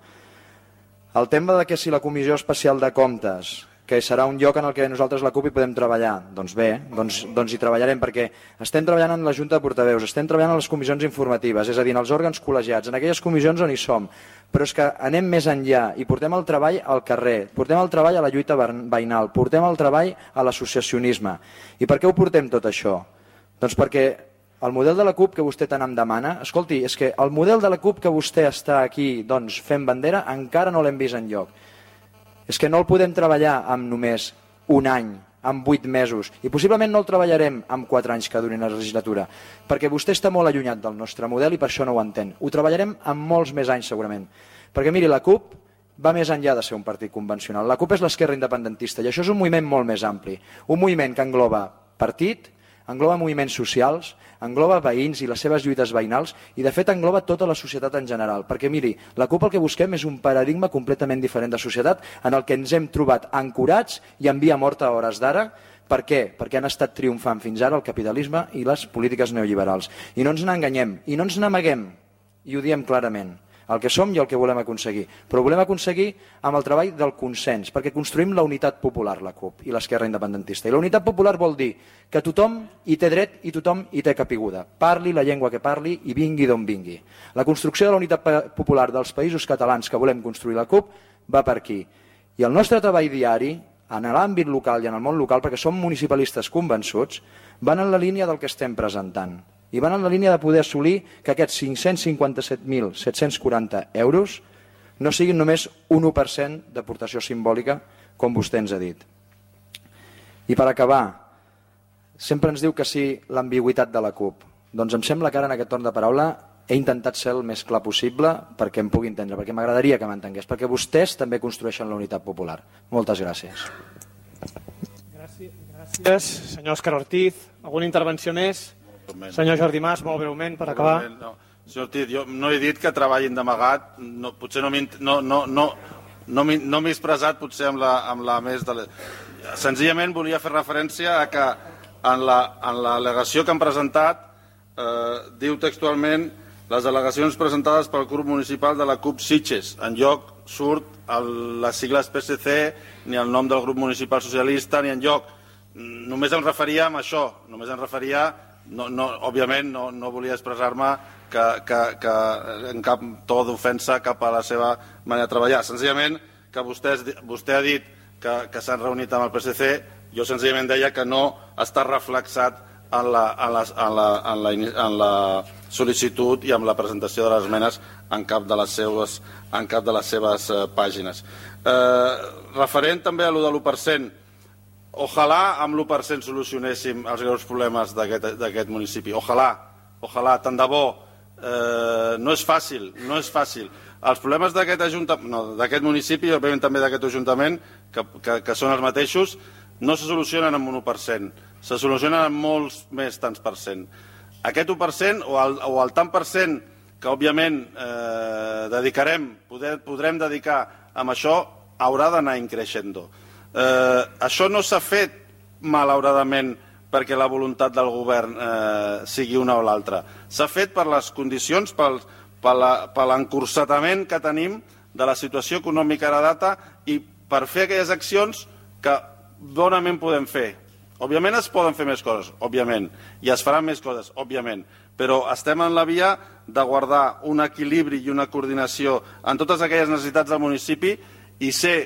El tema de que si la Comissió Especial de Comptes, que serà un lloc en el que nosaltres la CUP hi podem treballar, doncs bé, doncs, doncs hi treballarem, perquè estem treballant en la Junta de Portaveus, estem treballant en les comissions informatives, és a dir, en els òrgans col·legiats, en aquelles comissions on hi som, però és que anem més enllà i portem el treball al carrer, portem el treball a la lluita veïnal, portem el treball a l'associacionisme. I per què ho portem tot això? Doncs perquè el model de la CUP que vostè tant em demana, escolti, és que el model de la CUP que vostè està aquí doncs, fent bandera encara no l'hem vist enlloc. És que no el podem treballar amb només un any, amb vuit mesos, i possiblement no el treballarem amb quatre anys que durin la legislatura, perquè vostè està molt allunyat del nostre model i per això no ho entén. Ho treballarem amb molts més anys segurament, perquè miri, la CUP va més enllà de ser un partit convencional. La CUP és l'esquerra independentista i això és un moviment molt més ampli, un moviment que engloba partit, engloba moviments socials, engloba veïns i les seves lluites veïnals i de fet engloba tota la societat en general, perquè miri, la CUP el que busquem és un paradigma completament diferent de societat en el que ens hem trobat ancorats i en via morta a hores d'ara. Per què? Perquè han estat triomfant fins ara el capitalisme i les polítiques neoliberals. I no ens n'enganyem, i no ens n'amaguem, i ho diem clarament, el que som i el que volem aconseguir. Però ho volem aconseguir amb el treball del consens, perquè construïm la unitat popular, la CUP, i l'esquerra independentista. I la unitat popular vol dir que tothom hi té dret i tothom hi té capiguda. Parli la llengua que parli i vingui d'on vingui. La construcció de la unitat popular dels països catalans que volem construir la CUP va per aquí. I el nostre treball diari, en l'àmbit local i en el món local, perquè som municipalistes convençuts, van en la línia del que estem presentant. I van en la línia de poder assolir que aquests cinc-cents cinquanta-set mil set-cents quaranta euros no siguin només un u per cent d'aportació simbòlica, com vostè ens ha dit. I per acabar, sempre ens diu que sí l'ambigüitat de la CUP. Doncs em sembla que ara en aquest torn de paraula he intentat ser el més clar possible perquè em pugui entendre, perquè m'agradaria que m'entengués, perquè vostès també construeixen la unitat popular. Moltes gràcies. Gràcies, gràcies senyor Òscar Ortiz. Alguna intervenció més? Senyor Jordi Mas, molt breument, per acabar. No. Senyor Ortiz, jo no he dit que treballin d'amagat, no, potser no m'he no, no, no, no no expressat potser amb la, amb la més... De la... Senzillament volia fer referència a que en l'al·legació que han presentat eh, diu textualment les al·legacions presentades pel grup municipal de la CUP Sitges. En lloc surt el, les sigles P S C, ni el nom del grup municipal socialista, ni en lloc. Només em referia a això, només em referia... No, no, òbviament no, no volia expressar-me que, que, que en cap to d'ofensa cap a la seva manera de treballar. Senzillament que vostès, vostè ha dit que, que s'han reunit amb el P S C, jo senzillament deia que no està reflexat en la, en la, en la, en la, en la sol·licitud i amb la presentació de les esmenes en cap de les seves, en cap de les seves eh, pàgines. Eh, referent també a allò de l'u per cent, ojalà amb l'u per cent solucionéssim els greus problemes d'aquest municipi. Ojalà, ojalà, tant de bo. Eh, no és fàcil, no és fàcil. Els problemes d'aquest no, municipi i òbviament també d'aquest ajuntament, que, que, que són els mateixos, no se solucionen amb un u per cent, se solucionen amb molts més tants per cent. Aquest u per cent o el, o el tant per cent que òbviament eh, dedicarem, poder, podrem dedicar amb això, haurà d'anar increixendo. Eh, això no s'ha fet, malauradament, perquè la voluntat del govern eh, sigui una o l'altra. S'ha fet per les condicions, pel, per l'encursetament que tenim de la situació econòmica a la data i per fer aquelles accions que bonament podem fer. Òbviament es poden fer més coses, òbviament, i es faran més coses, òbviament, però estem en la via de guardar un equilibri i una coordinació en totes aquelles necessitats del municipi i ser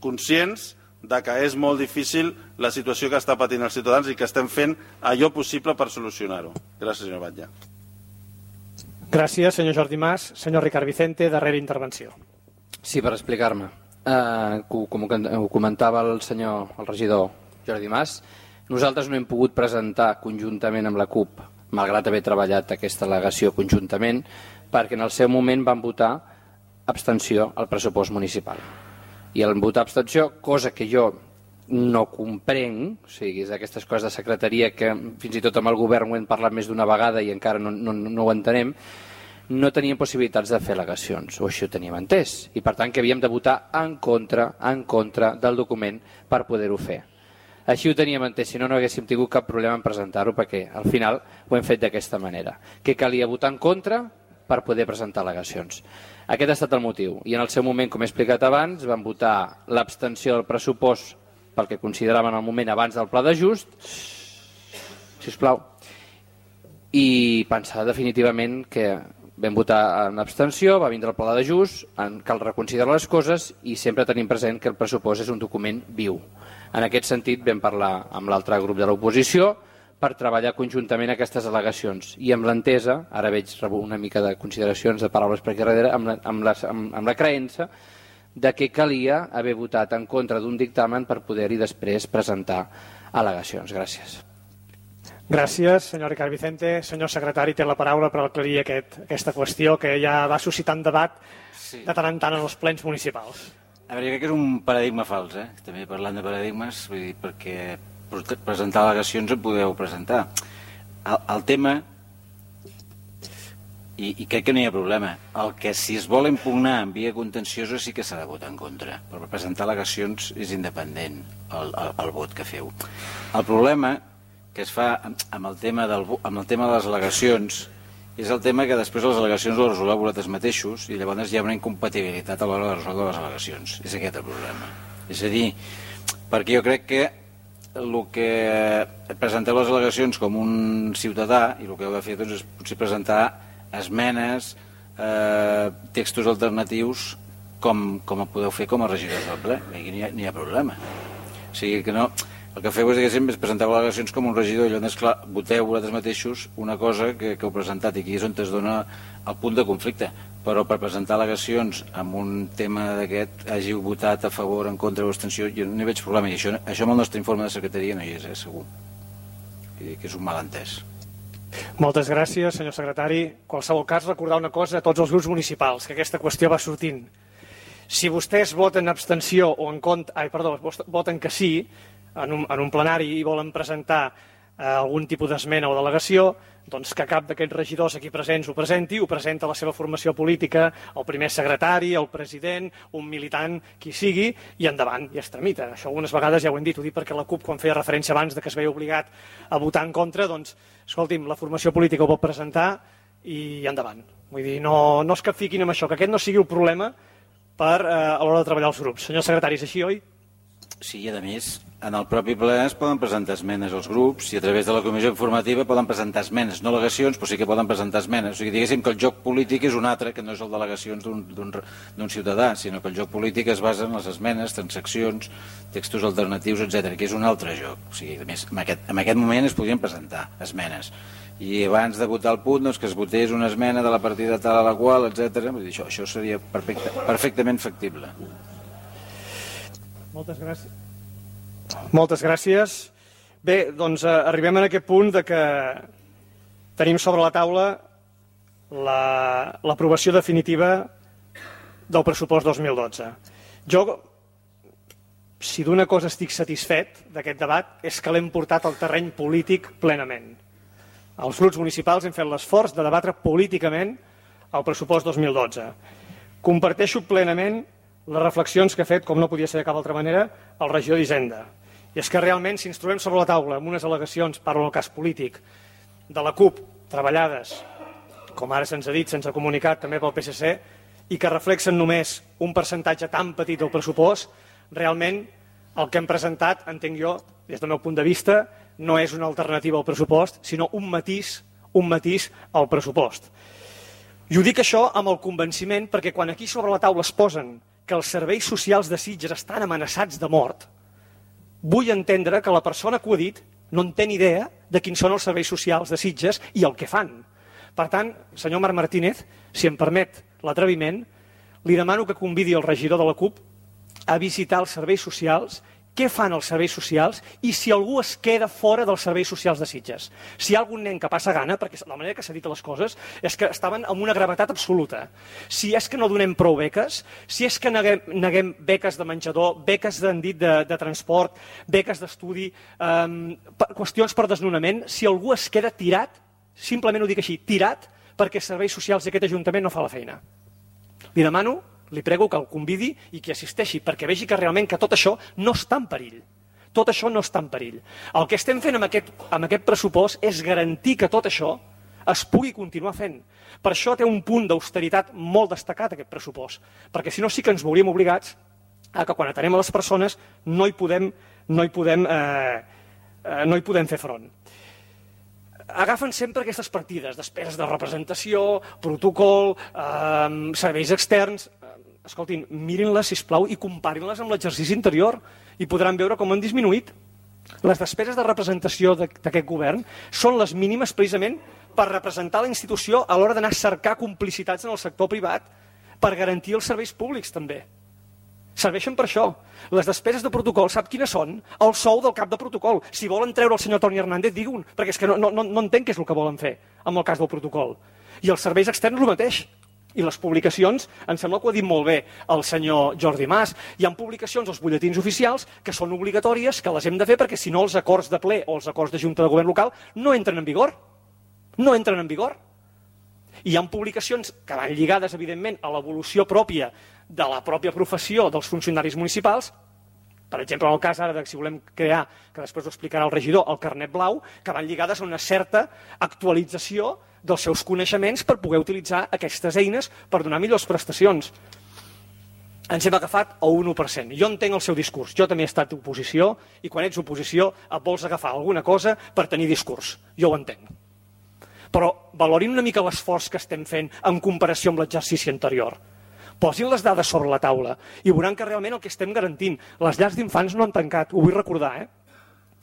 conscients de que és molt difícil la situació que està patint els ciutadans i que estem fent allò possible per solucionar-ho. Gràcies, senyor Batlle. Gràcies, senyor Jordi Mas. Senyor Ricard Vicente, darrera intervenció. Sí, per explicar-me. Eh, com ho comentava el senyor, el regidor Jordi Mas, nosaltres no hem pogut presentar conjuntament amb la CUP, malgrat haver treballat aquesta al·legació conjuntament, perquè en el seu moment van votar abstenció al pressupost municipal. I el votar abstenció, cosa que jo no comprenc, o sigui, és d'aquestes coses de secretaria que fins i tot amb el govern ho hem parlat més d'una vegada i encara no, no, no ho entenem, no teníem possibilitats de fer al·legacions, o així ho teníem entès, i per tant que havíem de votar en contra, en contra del document per poder-ho fer. Així ho teníem entès, si no, no haguéssim tingut cap problema en presentar-ho, perquè al final ho hem fet d'aquesta manera, que calia votar en contra per poder presentar al·legacions. Aquest ha estat el motiu, i en el seu moment, com he explicat abans, van votar l'abstenció del pressupost pel que consideraven el moment abans del pla d'ajust, sisplau, i pensar definitivament que vam votar en abstenció, va vindre el pla d'ajust, cal reconsiderar les coses i sempre tenim present que el pressupost és un document viu. En aquest sentit vam parlar amb l'altre grup de l'oposició per treballar conjuntament aquestes al·legacions i amb l'entesa, ara veig una mica de consideracions de paraules per aquí darrere, amb la, amb la, amb, amb la creença de que calia haver votat en contra d'un dictamen per poder-hi després presentar al·legacions. Gràcies. Gràcies, senyor Ricard Vicente. Senyor secretari, té la paraula per aclarir aquest, aquesta qüestió que ja va suscitant debat sí. de tant en tant en els plens municipals. A veure, jo crec que és un paradigma fals, eh? També parlant de paradigmes, vull dir, perquè presentar al·legacions en podeu presentar. El, el tema, i, i crec que no hi ha problema, el que si es vol impugnar en via contenciosa sí que s'ha de votar en contra, però per presentar al·legacions és independent el, el, el vot que feu. El problema que es fa amb el tema, del, amb el tema de les al·legacions és el tema que després les al·legacions les resoleu vosaltres mateixos i llavors hi ha una incompatibilitat a l'hora de resoldre les al·legacions. És aquest el problema. És a dir, perquè jo crec que el que presenteu les al·legacions com un ciutadà i el que heu de fer doncs, és potser presentar esmenes, eh, textos alternatius com, com ho podeu fer com a regidors del ple. Aquí no hi ha, no hi ha problema. O sigui que no... El que feu és que sempre presenteu al·legacions com un regidor i llavors, clar, voteu vosaltres mateixos una cosa que, que heu presentat i aquí és on es dona el punt de conflicte. Però per presentar al·legacions amb un tema d'aquest hàgiu votat a favor, en contra o abstenció, jo no hi veig problema. I això, això amb el nostre informe de secretaria no hi és, eh, segur. I que és un malentès. Moltes gràcies, senyor secretari. En qualsevol cas, recordar una cosa a tots els grups municipals, que aquesta qüestió va sortint. Si vostès voten abstenció o en contra... Ai, perdó, voten que sí, en un, en un plenari i volen presentar eh, algun tipus d'esmena o delegació, doncs que cap d'aquests regidors aquí presents ho presenti, ho presenta la seva formació política, el primer secretari, el president, un militant, qui sigui, i endavant, i es tramita. Això algunes vegades ja ho hem dit, ho dic perquè la CUP, quan feia referència abans de que es veia obligat a votar en contra, doncs, escolti'm, la formació política ho pot presentar i endavant. Vull dir, no, no es capfiquin amb això, que aquest no sigui el problema per, eh, a l'hora de treballar els grups. Senyor secretari, és així, oi? Sí, i a més, en el propi ple es poden presentar esmenes als grups i a través de la comissió informativa poden presentar esmenes, no al·legacions, però sí que poden presentar esmenes. O sigui, diguéssim que el joc polític és un altre, que no és el d'al·legacions d'un ciutadà, sinó que el joc polític es basa en les esmenes, transaccions, textos alternatius, etcètera, que és un altre joc. O sigui, a més, en aquest, en aquest moment es podien presentar esmenes. I abans de votar el punt, doncs, que es votés una esmena de la partida tal a la qual, etcètera. Això, això seria perfecte, perfectament factible. Moltes gràcies. Moltes gràcies. Bé, doncs eh, arribem a aquest punt de que tenim sobre la taula l'aprovació la, definitiva del pressupost dos mil dotze. Jo, si d'una cosa estic satisfet d'aquest debat, és que l'hem portat al terreny polític plenament. Els grups municipals hem fet l'esforç de debatre políticament el pressupost dos mil dotze. Comparteixo plenament les reflexions que ha fet, com no podia ser de cap altra manera, el regidor d'Hisenda. I és que realment, si ens trobem sobre la taula amb unes al·legacions, parlo en el cas polític, de la CUP, treballades, com ara se'ns ha dit, sense comunicat, també pel P S C, i que reflexen només un percentatge tan petit del pressupost, realment el que hem presentat, entenc jo, des del meu punt de vista, no és una alternativa al pressupost, sinó un matís, un matís al pressupost. I ho dic això amb el convenciment perquè quan aquí sobre la taula es posen que els serveis socials de Sitges estan amenaçats de mort, vull entendre que la persona que ho ha dit no en té ni idea de quins són els serveis socials de Sitges i el que fan. Per tant, senyor Marc Martínez, si em permet l'atreviment, li demano que convidi el regidor de la CUP a visitar els serveis socials, què fan els serveis socials i si algú es queda fora dels serveis socials de Sitges. Si hi ha algun nen que passa gana, perquè la manera que s'ha dit les coses és que estaven amb una gravetat absoluta. Si és que no donem prou beques, si és que neguem, neguem beques de menjador, beques de, de, de transport, beques d'estudi, eh, qüestions per desnonament, si algú es queda tirat, simplement ho dic així, tirat, perquè els serveis socials d'aquest Ajuntament no fa la feina. Li demano, li prego que el convidi i que assisteixi, perquè vegi que realment que tot això no està en perill. Tot això no està en perill. El que estem fent amb aquest, amb aquest pressupost és garantir que tot això es pugui continuar fent. Per això té un punt d'austeritat molt destacat aquest pressupost, perquè si no sí que ens veuríem obligats a que quan atenem a les persones no hi podem, no hi podem, eh, eh, no hi podem fer front. Agafen sempre aquestes partides, despeses de representació, protocol, eh, serveis externs. Escoltin, mirin-les, sisplau, i comparin-les amb l'exercici anterior i podran veure com han disminuït. Les despeses de representació d'aquest govern són les mínimes precisament per representar la institució a l'hora d'anar a cercar complicitats en el sector privat per garantir els serveis públics, també. Serveixen per això. Les despeses de protocol, sap quines són? El sou del cap de protocol. Si volen treure el senyor Toni Hernández, diguin, perquè és que no, no, no entenc què és el que volen fer amb el cas del protocol. I els serveis externs el mateix. I les publicacions, em sembla que ho ha dit molt bé el senyor Jordi Mas, hi ha publicacions als butlletins oficials que són obligatòries, que les hem de fer perquè si no els acords de ple o els acords de Junta de Govern local no entren en vigor. No entren en vigor. I hi ha publicacions que van lligades, evidentment, a l'evolució pròpia de la pròpia professió dels funcionaris municipals, per exemple, en el cas ara de si volem crear, que després ho explicarà el regidor, el carnet blau, que van lligades a una certa actualització dels seus coneixements per poder utilitzar aquestes eines per donar millors prestacions. Ens hem agafat a un u per cent. Jo entenc el seu discurs. Jo també he estat oposició i quan ets oposició et vols agafar alguna cosa per tenir discurs. Jo ho entenc. Però valorin una mica l'esforç que estem fent en comparació amb l'exercici anterior. Posin les dades sobre la taula i veuran que realment el que estem garantint, les llars d'infants no han tancat, ho vull recordar, eh?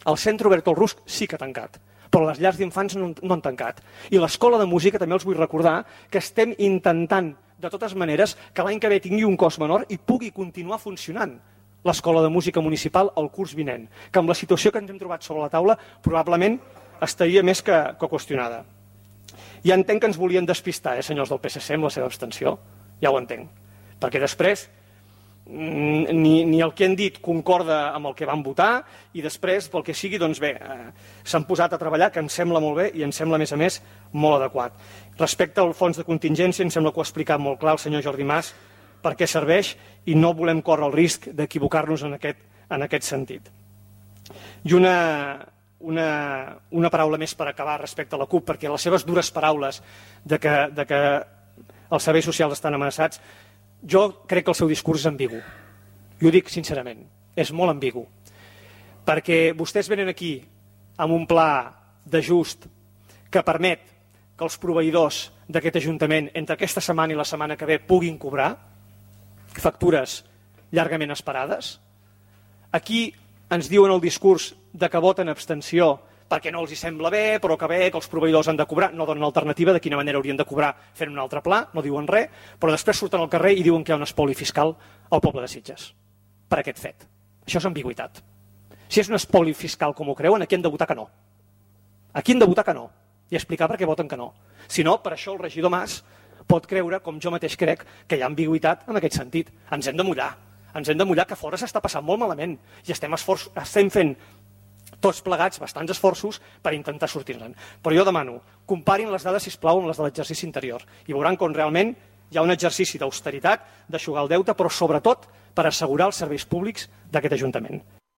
El centre obert al Rusc sí que ha tancat, però les llars d'infants no, no han tancat. I l'escola de música també els vull recordar que estem intentant, de totes maneres, que l'any que ve tingui un cost menor i pugui continuar funcionant l'escola de música municipal el curs vinent, que amb la situació que ens hem trobat sobre la taula probablement estaria més que, que qüestionada. Ja entenc que ens volien despistar, eh, senyors del P S C, amb la seva abstenció, ja ho entenc, perquè després ni, ni el que han dit concorda amb el que van votar i després, pel que sigui, doncs bé, eh, s'han posat a treballar, que em sembla molt bé i em sembla, a més a més, molt adequat. Respecte al fons de contingència, em sembla que ho ha explicat molt clar el senyor Jordi Mas per què serveix i no volem córrer el risc d'equivocar-nos en aquest, en aquest sentit. I una, una, una paraula més per acabar respecte a la CUP, perquè les seves dures paraules de que, de que els serveis socials estan amenaçats, jo crec que el seu discurs és ambigu. I ho dic sincerament, és molt ambigu. Perquè vostès venen aquí amb un pla d'ajust que permet que els proveïdors d'aquest Ajuntament entre aquesta setmana i la setmana que ve puguin cobrar factures llargament esperades. Aquí ens diuen el discurs de que voten abstenció perquè no els hi sembla bé, però que bé, que els proveïdors han de cobrar, no donen alternativa de quina manera haurien de cobrar fent un altre pla, no diuen res, però després surten al carrer i diuen que hi ha un espoli fiscal al poble de Sitges per aquest fet. Això és ambigüitat. Si és un espoli fiscal com ho creuen, aquí han de votar que no. Aquí han de votar que no i explicar per què voten que no. Si no, per això el regidor Mas pot creure, com jo mateix crec, que hi ha ambigüitat en aquest sentit. Ens hem de mullar. Ens hem de mullar, que fora s'està passant molt malament i estem, esforç, estem fent tots plegats bastants esforços per intentar sortir-ne. Però jo demano, comparin les dades, sisplau, amb les de l'exercici anterior i veuran com realment hi ha un exercici d'austeritat, d'aixugar el deute, però sobretot per assegurar els serveis públics d'aquest Ajuntament.